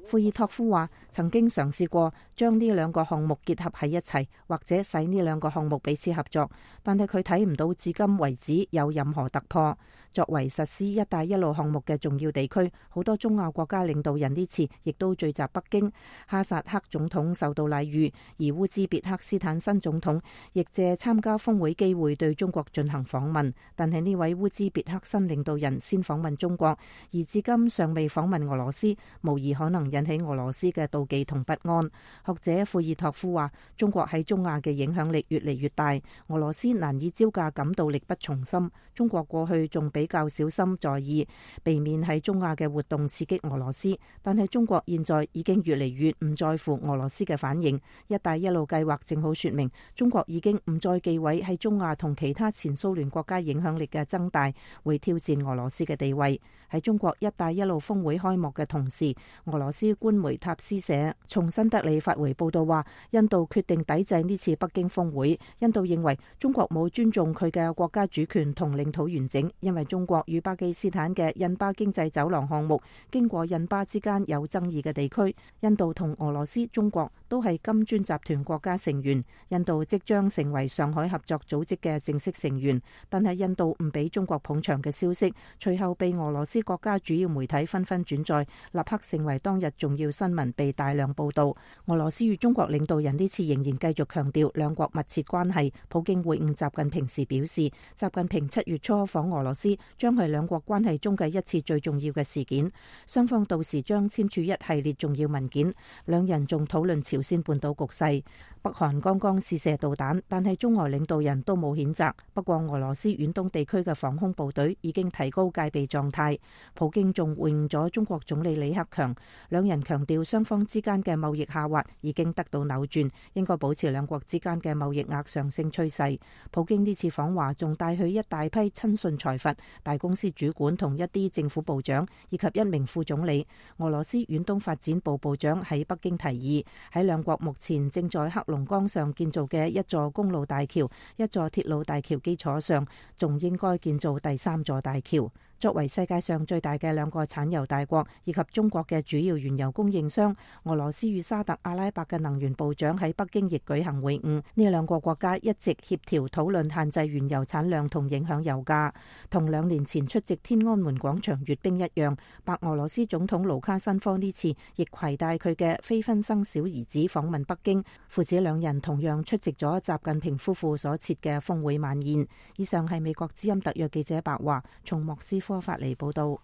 庫爾托夫話：曾經嘗試過將呢兩個項目結合喺一齊，或者使呢兩個項目彼此合作，但係佢睇唔到至今為止有任何突破。作為實施一帶一路項目嘅重要地區，好多中亞國家領導人呢次亦都聚集北京。哈薩克總統受到禮遇，而烏茲別克斯坦新總統亦借參加峰會機會對中國進行訪問。但係呢位烏茲別克新領導人先訪問中國，而至今尚未訪問俄羅斯，無疑可能引起俄羅斯嘅妒忌同不安。學者庫爾托夫話：中國喺中亞嘅影響力越嚟越大，俄羅斯難以招架，感到力不從心。中國過去仲比較小心在意，避免喺中亞嘅活動刺激俄羅斯，但係中國現在已經越嚟越唔在乎俄羅斯嘅反應。一帶一路計劃正好說明，中國已經唔再忌諱喺中亞同其他前蘇聯國家影響力嘅增大，會挑戰俄羅斯嘅地位。喺中國一帶一路峰會開幕嘅同時，俄羅斯官媒塔斯社從新德里發回報道話，印度決定抵制呢次北京峰會。印度認為中國冇尊重佢嘅國家主權同領土完整，因為中國與巴基斯坦嘅印巴經濟走廊項目經過印巴之間有爭議嘅地區。印度同俄羅斯、中國都係金磚集團國家成員，印度即將成為上海合作組織嘅正式成員，但係印度唔俾中國捧場嘅消息，隨後被俄羅斯國家主要媒體紛紛轉載，立刻成為當日重要新聞，被大量報道。俄羅斯與中國領導人呢次仍然繼續強調兩國密切關係。普京會晤習近平時表示，習近平七月初訪俄羅斯將係兩國關係中嘅一次最重要嘅事件，雙方到時將簽署一系列重要文件。兩人仲討論朝鮮半島局勢。北韓剛剛試射導彈，但係中俄領導人都冇譴責。不過俄羅斯遠東地區嘅防空部隊已經提高戒備狀態。普京仲會晤咗中國總理李克強，兩人強調雙方之間嘅貿易下滑已經得到扭轉，應該保持兩國之間嘅貿易額上升趨勢。普京呢次訪華仲帶去一大批親信財閥、大公司主管同一啲政府部長以及一名副總理。俄羅斯遠東發展部部長喺北京提議，喺兩國目前正在黑龍江上建造嘅一座公路大橋、一座鐵路大橋基礎上，仲應該建造第三座大橋。作為世界上最大嘅兩個產油大國以及中國嘅主要原油供應商，俄羅斯與沙特阿拉伯嘅能源部長喺北京亦舉行會晤。呢兩個國家一直協調討論限制原油產量同影響油價。同兩年前出席天安門廣場閱兵一樣，白俄羅斯總統盧卡申科呢次亦攜帶佢嘅非婚生小兒子訪問北京。父子兩人同樣出席咗習近平夫婦所設嘅峰會晚宴。以上係美國之音特約記者白華從莫斯科發嚟報道。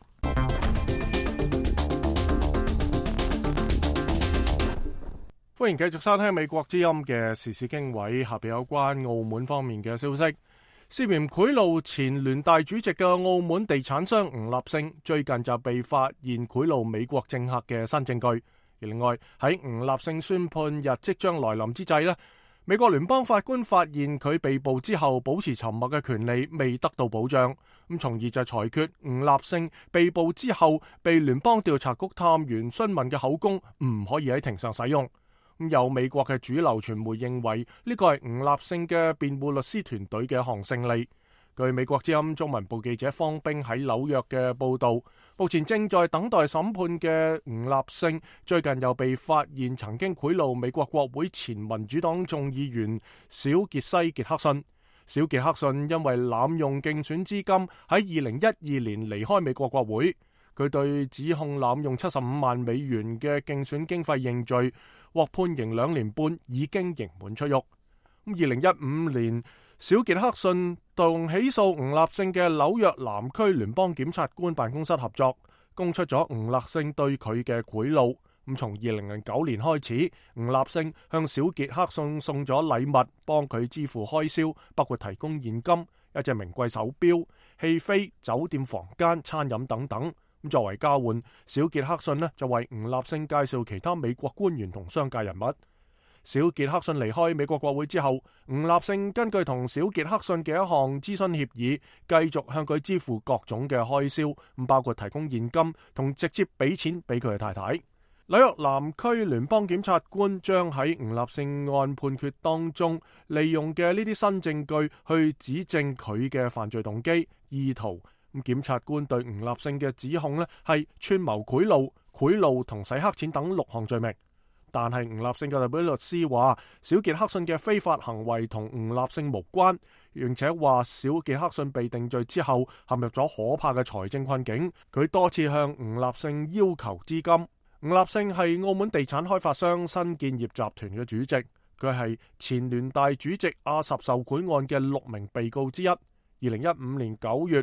歡迎繼續收聽美國之音嘅時事經緯，下邊有關澳門方面嘅消息。涉嫌賄賂前聯大主席嘅澳門地產商吳立勝，最近就被發現賄賂美國政客嘅新證據。而另外喺吳立勝宣判日即將來臨之際呢，美國聯邦法官發現佢被捕之後保持沉默嘅權利未得到保障，咁從而就裁決吳立勝被捕之後被聯邦調查局探員詢問嘅口供唔可以喺庭上使用。咁有美國嘅主流傳媒認為呢個係吳立勝嘅辯護律師團隊嘅一項勝利。據美國之音中文部記者方冰喺紐約嘅報道，目前正在等待審判嘅吳立勝最近又被發現曾經賄賂美國國會前民主黨眾議員小傑西傑克遜。小傑克遜因為濫用競選資金喺二零一二年離開美國國會，佢對指控濫用七十五萬美元嘅競選經費認罪，獲判刑兩年半，已經刑滿出獄。咁二零一五年，小傑克遜同起訴吳立勝嘅紐約南區聯邦檢察官辦公室合作，供出咗吳立勝對佢嘅賄賂。咁從二零零九年開始，吳立勝向小傑克遜送咗禮物，幫佢支付開銷，包括提供現金、一隻名貴手錶、戲飛、酒店房間、餐飲等等。咁作為交換，小傑克遜呢就為吳立勝介紹其他美國官員同商界人物。小傑克遜離開美國國會之後，吳立勝根據同小傑克遜嘅一項諮詢協議，繼續向佢支付各種嘅開銷，咁包括提供現金同直接俾錢俾佢嘅太太。紐約南區聯邦檢察官將喺吳立勝案判決當中利用嘅呢啲新證據去指證佢嘅犯罪動機、意圖。咁檢察官對吳立勝嘅指控呢係串謀賄賂、賄賂同洗黑錢等六項罪名。但係吳立勝嘅代表律師話，小傑克遜嘅非法行為同吳立勝無關，並且話小傑克遜被定罪之後陷入咗可怕嘅財政困境。佢多次向吳立勝要求資金。吳立勝係澳門地產開發商新建業集團嘅主席，佢係前聯大主席阿什受賄案嘅六名被告之一。二零一五年九月，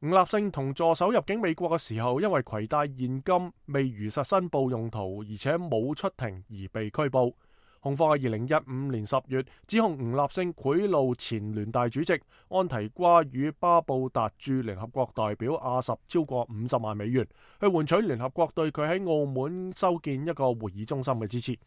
吳立勝同助手入境美國嘅時候，因為攜帶現金未如實申報用途，而且冇出庭而被拘捕。控方喺二零一五年十月指控吳立勝賄賂前聯大主席安提瓜與巴布達駐聯合國代表阿什超過五十萬美元，去換取聯合國對佢喺澳門修建一個會議中心嘅支持。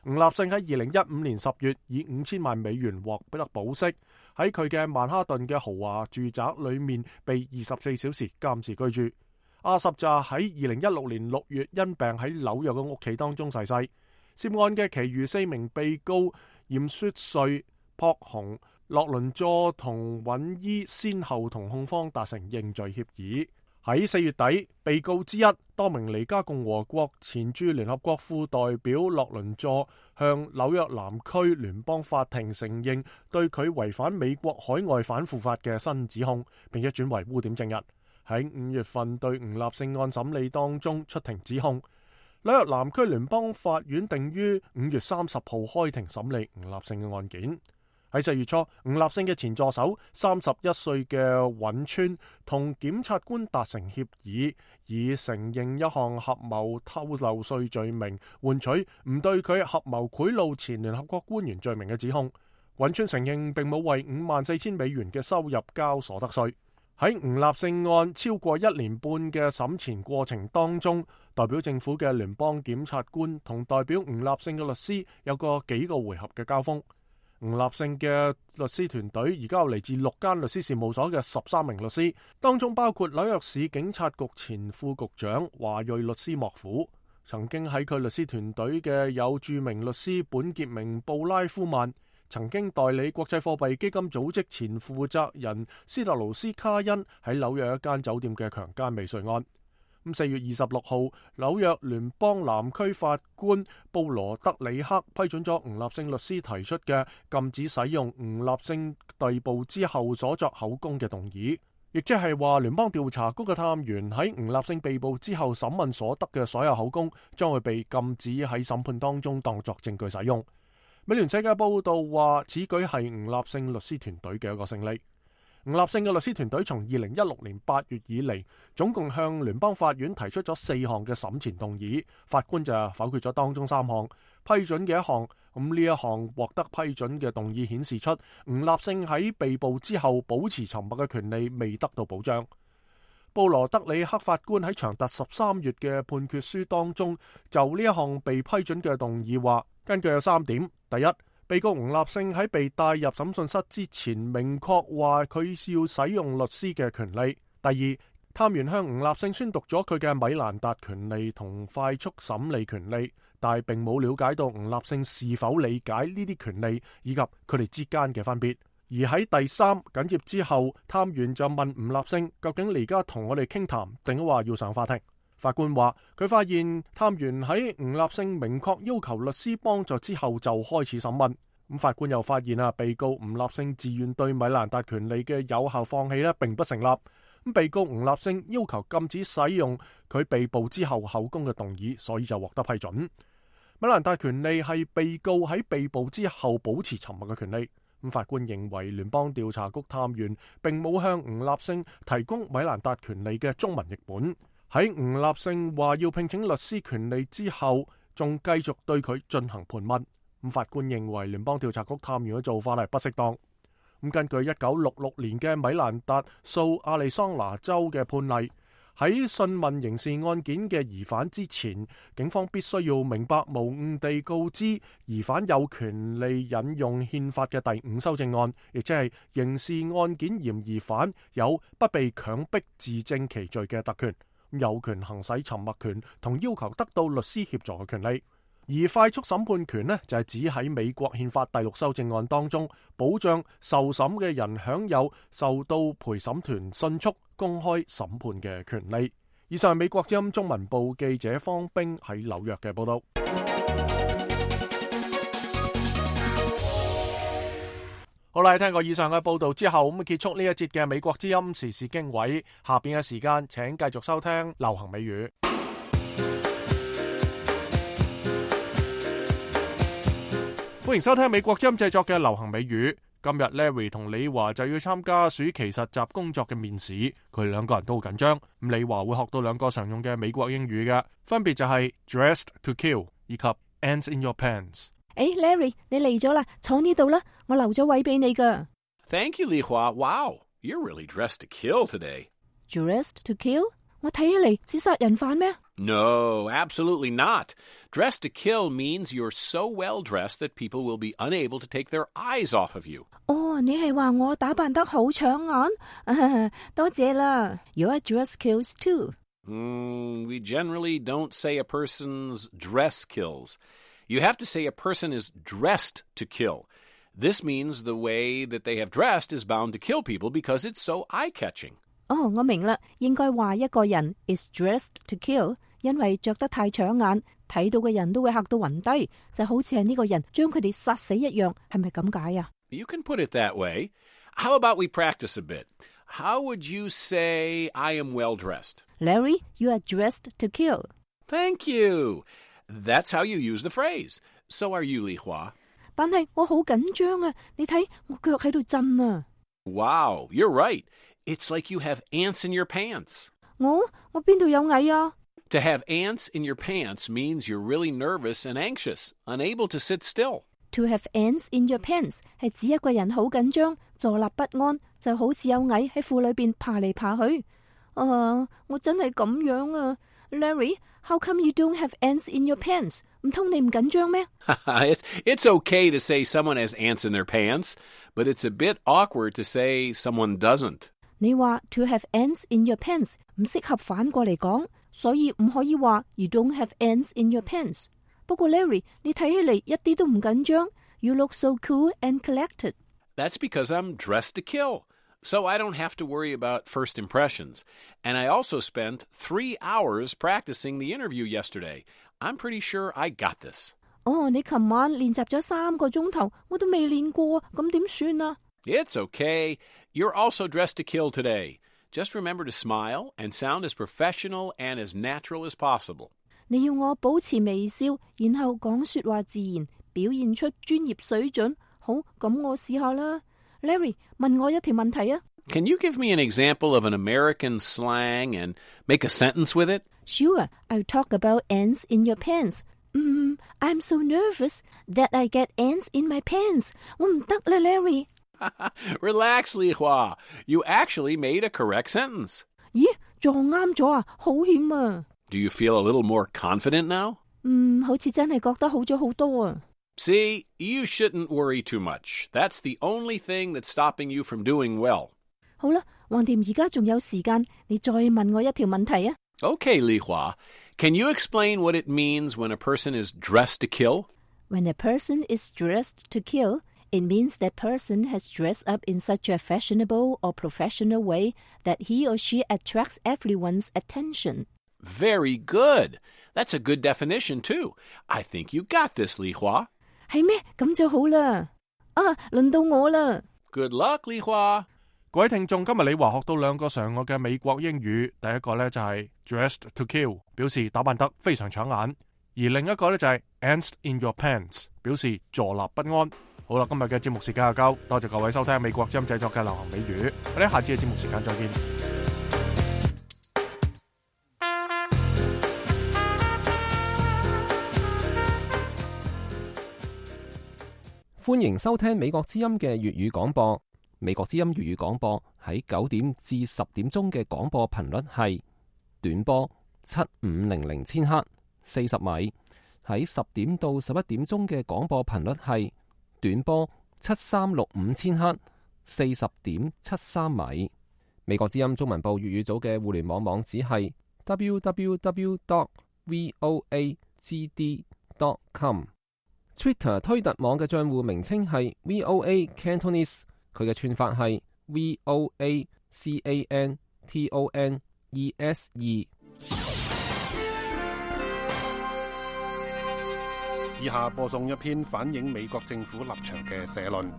吳立勝喺二零一五年十月以五千萬美元獲得保釋，喺佢嘅曼哈頓嘅豪華住宅裏面被二十四小時監視居住。阿什就喺二零一六年六月因病喺紐約嘅屋企當中逝世。涉案嘅其餘四名被告嚴雪瑞、朴雄、洛倫佐同尹伊先後同控方達成認罪協議。喺四月底，被告之一多明尼加共和國前駐聯合國副代表洛倫佐向紐約南區聯邦法庭承認對佢違反美國海外反腐法嘅新指控，並且轉為污點證人。喺五月份對吳立勝案審理當中出庭指控。紐約南區聯邦法院定於五月三十號開庭審理吳立勝嘅案件。喺四月初，吳立勝嘅前助手三十一歲嘅尹川同檢察官達成協議，以承認一項合謀偷漏稅罪名，換取唔對佢合謀賄賂前聯合國官員罪名嘅指控。尹川承認並冇為五萬四千美元嘅收入交所得稅。喺吳立勝案超過一年半嘅審前過程當中，代表政府嘅聯邦檢察官同代表吳立勝嘅律師有個幾個回合嘅交鋒。吳立勝嘅律師團隊而家有嚟自六間律師事務所嘅十三名律師，當中包括紐約市警察局前副局長華裔律師莫夫。曾經喺佢律師團隊嘅有著名律師本傑明布拉夫曼，曾經代理國際貨幣基金組織前負責人斯特勞斯卡恩喺紐約一間酒店嘅強姦未遂案。咁四月二十六號，紐約聯邦南區法官布羅德里克批准咗吳立勝律師提出嘅禁止使用吳立勝逮捕之後所作口供嘅動議，亦即係話聯邦調查局嘅探員喺吳立勝被捕之後審問所得嘅所有口供，將會被禁止喺審判當中當作證據使用。美聯社嘅報道話，此舉係吳立勝律師團隊嘅一個勝利。吳立勝嘅律師團隊從二零一六年八月以嚟，總共向聯邦法院提出咗四項嘅審前動議，法官就否決咗當中三項，批准嘅一項。咁呢一項獲得批准嘅動議顯示出吳立勝喺被捕之後保持沉默嘅權利未得到保障。布羅德里克法官喺長達十三頁嘅判決書當中，就呢一項被批准嘅動議話，根據有三點：第一，被告吳立勝喺被帶入審訊室之前，明確話佢要使用律師嘅權利；第二，探員向吳立勝宣讀咗佢嘅米蘭達權利同快速審理權利，但係並冇了解到吳立勝是否理解呢啲權利以及佢哋之間嘅分別。而喺第三，緊接之後，探員就問吳立勝，究竟你而家同我哋傾談，定話要上法庭？法官話佢發現探員喺吳立勝明確要求律師幫助之後就開始審問。咁法官又發現啊，被告吳立勝自願對米蘭達權利嘅有效放棄咧，並不成立。咁被告吳立勝要求禁止使用佢被捕之後口供嘅動議，所以就獲得批准。米蘭達權利係被告喺被捕之後保持沉默嘅權利。咁法官認為聯邦調查局探員並冇向吳立勝提供米蘭達權利嘅中文譯本。喺吳立勝話要聘請律師權利之後，仲繼續對佢進行盤問。咁法官認為聯邦調查局探員嘅做法係不適當。咁根據一九六六年嘅米蘭達訴亞利桑那州嘅判例，喺訊問刑事案件嘅疑犯之前，警方必須要明白無誤地告知疑犯有權利引用憲法嘅第五修正案，亦即係刑事案件嫌疑犯有不被強迫自證其罪嘅特權，有權行使沉默權同要求得到律師協助嘅權利。而快速審判權呢，就係指喺美國憲法第六修正案當中，保障受審嘅人享有受到陪審團迅速公開審判嘅權利。以上係美國之音中文部記者方冰喺紐約嘅報道。好啦，聽過以上嘅報道之後，咁結束呢一節嘅美國之音時事經緯。下邊嘅時間，請繼續收聽流行美語。歡迎收聽美國之音製作嘅流行美語。今日 Larry 同李華就要參加暑期實習工作嘅面試，佢哋兩個人都好緊張。咁李華會學到兩個常用嘅美國英語嘅，分別就係 dressed to kill 以及 ants in your pants。誒 ，Larry 你嚟咗啦，坐呢度啦，我留咗位俾你噶。Thank you, Li Hua. Wow, you're really dressed to kill today. Dressed to kill？ 我睇起嚟似殺人犯咩？ No, absolutely not. Dressed to kill means you're so well dressed that people will be unable to take their eyes off of you. 哦，你係話我打扮得好搶眼？啊，多謝啦。Your dress kills too. Mm, we generally don't say a person's dress kills. You have to say a person is dressed to kill. This means the way that they have dressed is bound to kill people because it's so eye-catching. 哦，我明啦，應該話一個人 is dressed to kill， 因為着得太搶眼，睇到嘅人都會嚇到暈低，就好似係呢個人將佢哋殺死一樣，係咪咁解啊？ You can put it that way. How about we practice a bit? How would you say I am well dressed? Larry, you are dressed to kill. Thank you. That's how you use the phrase. So are you, Li Hua. 但係我好緊張啊！你睇我腳喺度震啊！ Wow, you're right. It's like you have ants in your pants. 我我邊度有蟻啊？ To have ants in your pants means you're really nervous and anxious, unable to sit still. To have ants in your pants 係指一個人好緊張，坐立不安，就好似有蟻喺褲裏邊爬嚟爬去。啊，我真係咁樣啊 ，Larry, how come you don't have ants in your pants? 唔通你唔緊張咩？ it's, it's okay to say someone has ants in their pants, but it's a bit awkward to say someone doesn't. 你話 to have ants in your pants 唔適合反過嚟講，所以唔可以話 you don't have ants in your pants。不過 Larry， 你睇起嚟一啲都唔緊張。You look so cool and collected. That's because I'm dressed to kill, so I don't have to worry about first impressions. And I also spent three hours practicing the interview yesterday. I'm pretty sure I got this. 哦，你琴晚練習咗三個鐘頭，我都未練過，咁點算啊？ It's okay. You're also dressed to kill today. Just remember to smile and sound as professional and as natural as possible. 你要我保持微笑，然後講說話自然，表現出專業水準。好，咁我試下啦。Larry， 問我一條問題啊。Can you give me an example of an American slang and make a sentence with it? Sure, I'll talk about ants in your pants. Mm, I'm so nervous that I get ants in my pants. 我唔得啦 ，Larry。Relax, Li Hua. You actually made a correct sentence. 咦，撞啱咗啊，好險啊！ Do you feel a little more confident now? 嗯，好似真係覺得好咗好多啊。See, you shouldn't worry too much. That's the only thing that's stopping you from doing well. 好啦，橫掂而家仲有時間，你再問我一條問題啊。Okay, Li Hua. Can you explain what it means when a person is dressed to kill? When a person is dressed to kill, it means that person has dressed up in such a fashionable or professional way that he or she attracts everyone's attention. Very good. That's a good definition, too. I think you got this, Li Hua. 係咩？咁就好啦。啊，輪到我啦。Good luck, Li Hua. 各位聽眾，今日李華學到兩個常用嘅美國英語。第一個呢就係 dressed to kill， 表示打扮得非常搶眼；而另一個呢就係 ants in your pants， 表示坐立不安。好啦，今日嘅節目時間就夠，多謝各位收聽美國之音製作嘅流行美語。我哋下次嘅節目時間再見。歡迎收聽美國之音嘅粵語廣播。美國之音粵語廣播喺九點至十點鐘嘅廣播頻率係短波七五零零千赫四十米。喺十點到十一點鐘嘅廣播頻率係短波七三六五千赫四十點七三米。美國之音中文部粵語組嘅互聯網網址係 double-u double-u double-u dot voa g d dot com。Twitter 推特網嘅賬戶名稱係 V O A Cantonese， 佢嘅串法係 V O A C A N T O N E S E。以下播送一篇反映美國政府立場嘅社論。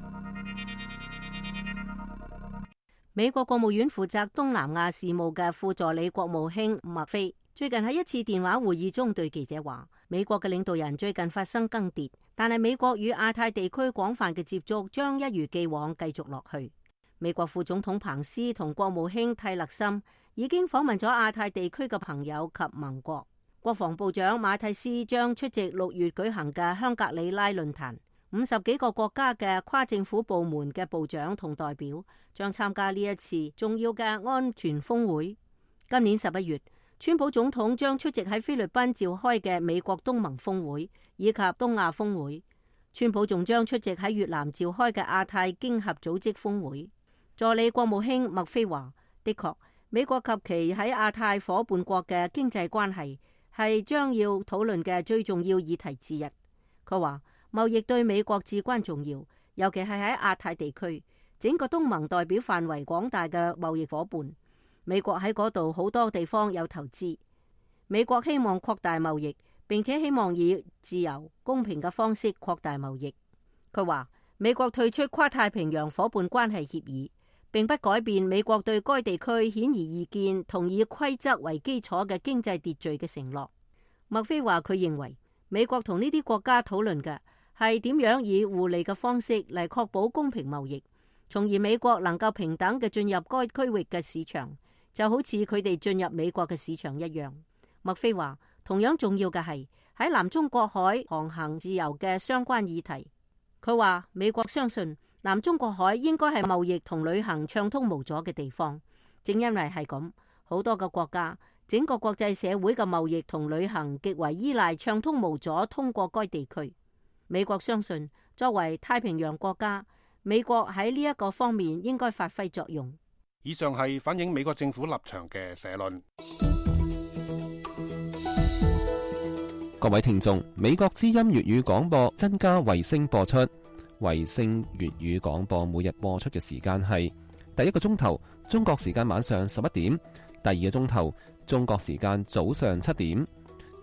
美國國務院負責東南亞事務嘅副助理國務卿麥菲最近喺一次電話會議中對記者話，美國嘅領導人最近發生更迭，但係美國與亞太地區廣泛嘅接觸將一如既往繼續落去。美國副總統彭斯同國務卿蒂勒森已經訪問咗亞太地區嘅朋友及盟國。國防部長馬蒂斯將出席六月舉行嘅香格里拉論壇，五十幾個國家嘅跨政府部門嘅部長同代表將參加呢一次重要嘅安全峰會。今年十一月，川普總統將出席喺菲律賓召開嘅美國東盟峰會以及東亞峰會。川普仲將出席喺越南召開嘅亞太經合組織峰會。助理國務卿麥菲話：的確，美國及其喺亞太夥伴國嘅經濟關係係將要討論嘅最重要議題之一。佢話貿易對美國至關重要，尤其係喺亞太地區，整個東盟代表範圍廣大嘅貿易夥伴。美國喺嗰度好多地方有投資。美國希望擴大貿易，並且希望以自由公平嘅方式擴大貿易。佢話美國退出跨太平洋夥伴關係協議，並不改變美國對該地區顯而易見同以規則為基礎嘅經濟秩序嘅承諾。麥菲話佢認為美國同呢啲國家討論嘅係點樣以互利嘅方式嚟確保公平貿易，從而美國能夠平等嘅進入該區域嘅市場，就好似佢哋進入美國嘅市場一樣。麥菲話同樣重要嘅係喺南中國海航行自由嘅相關議題。佢話美國相信南中國海應該係貿易同旅行暢通無阻嘅地方，正因為係咁，好多個國家，整個國際社會嘅貿易同旅行極為依賴暢通無阻通過該地區。美國相信作為太平洋國家，美國喺呢一個方面應該發揮作用。以上係反映美國政府立場嘅社論。各位聽眾，美國之音粵語廣播增加衛星播出。衛星粵語廣播每日播出嘅時間係第一個鐘頭中國時間晚上十一點，第二個鐘頭中國時間早上七點。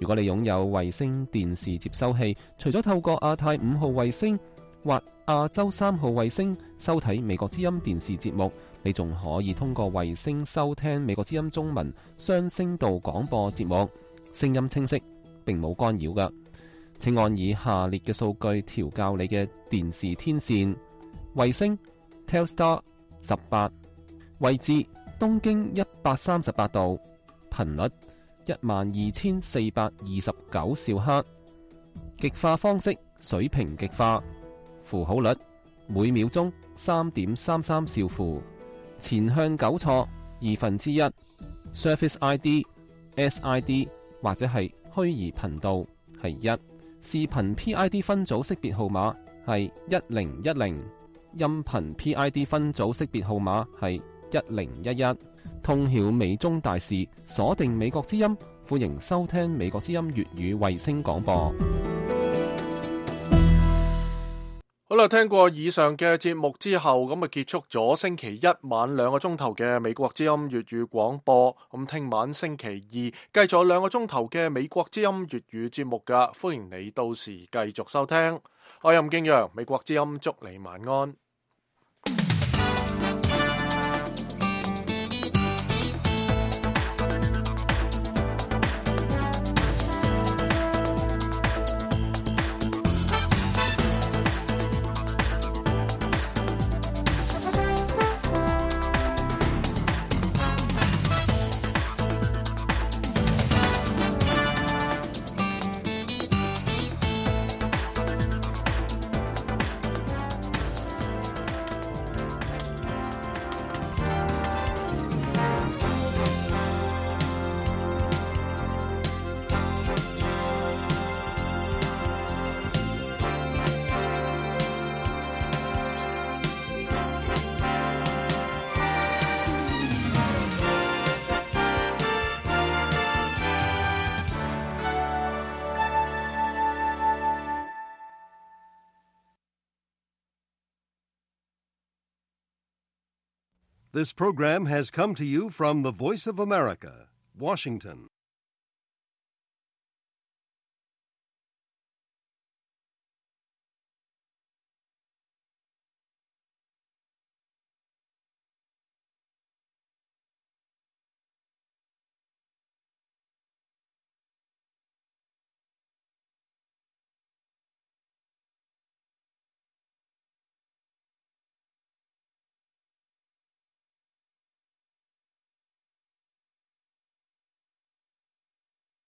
如果你擁有衛星電視接收器，除咗透過亞太五號衛星或亞洲三號衛星收睇美國之音電視節目，你仲可以通過衛星收聽美國之音中文雙聲道廣播節目，聲音清晰，並冇干擾㗎。請按以下列嘅數據調校你嘅電視天線：衛星 Telstar 十八，位置東經一百三十八度，頻率一萬二千四百二十九兆赫，極化方式水平極化，符號率每秒鐘三點三三兆符，前向糾錯二分之一 ，Surface I D、S I D 或者係虛擬頻道係一。視頻 P I D 分組識別號碼係一零一零，音頻 P I D 分組識別號碼係一零一一。通曉美中大事，鎖定美國之音，歡迎收聽美國之音粵語衛星廣播。好啦，聽過以上嘅節目之後，咁啊結束咗星期一晚兩個鐘頭嘅美國之音粵語廣播。咁聽晚星期二繼續兩個鐘頭嘅美國之音粵語節目噶，歡迎你到時繼續收聽。我係任敬陽，美國之音祝你晚安。This program has come to you from the Voice of America, Washington.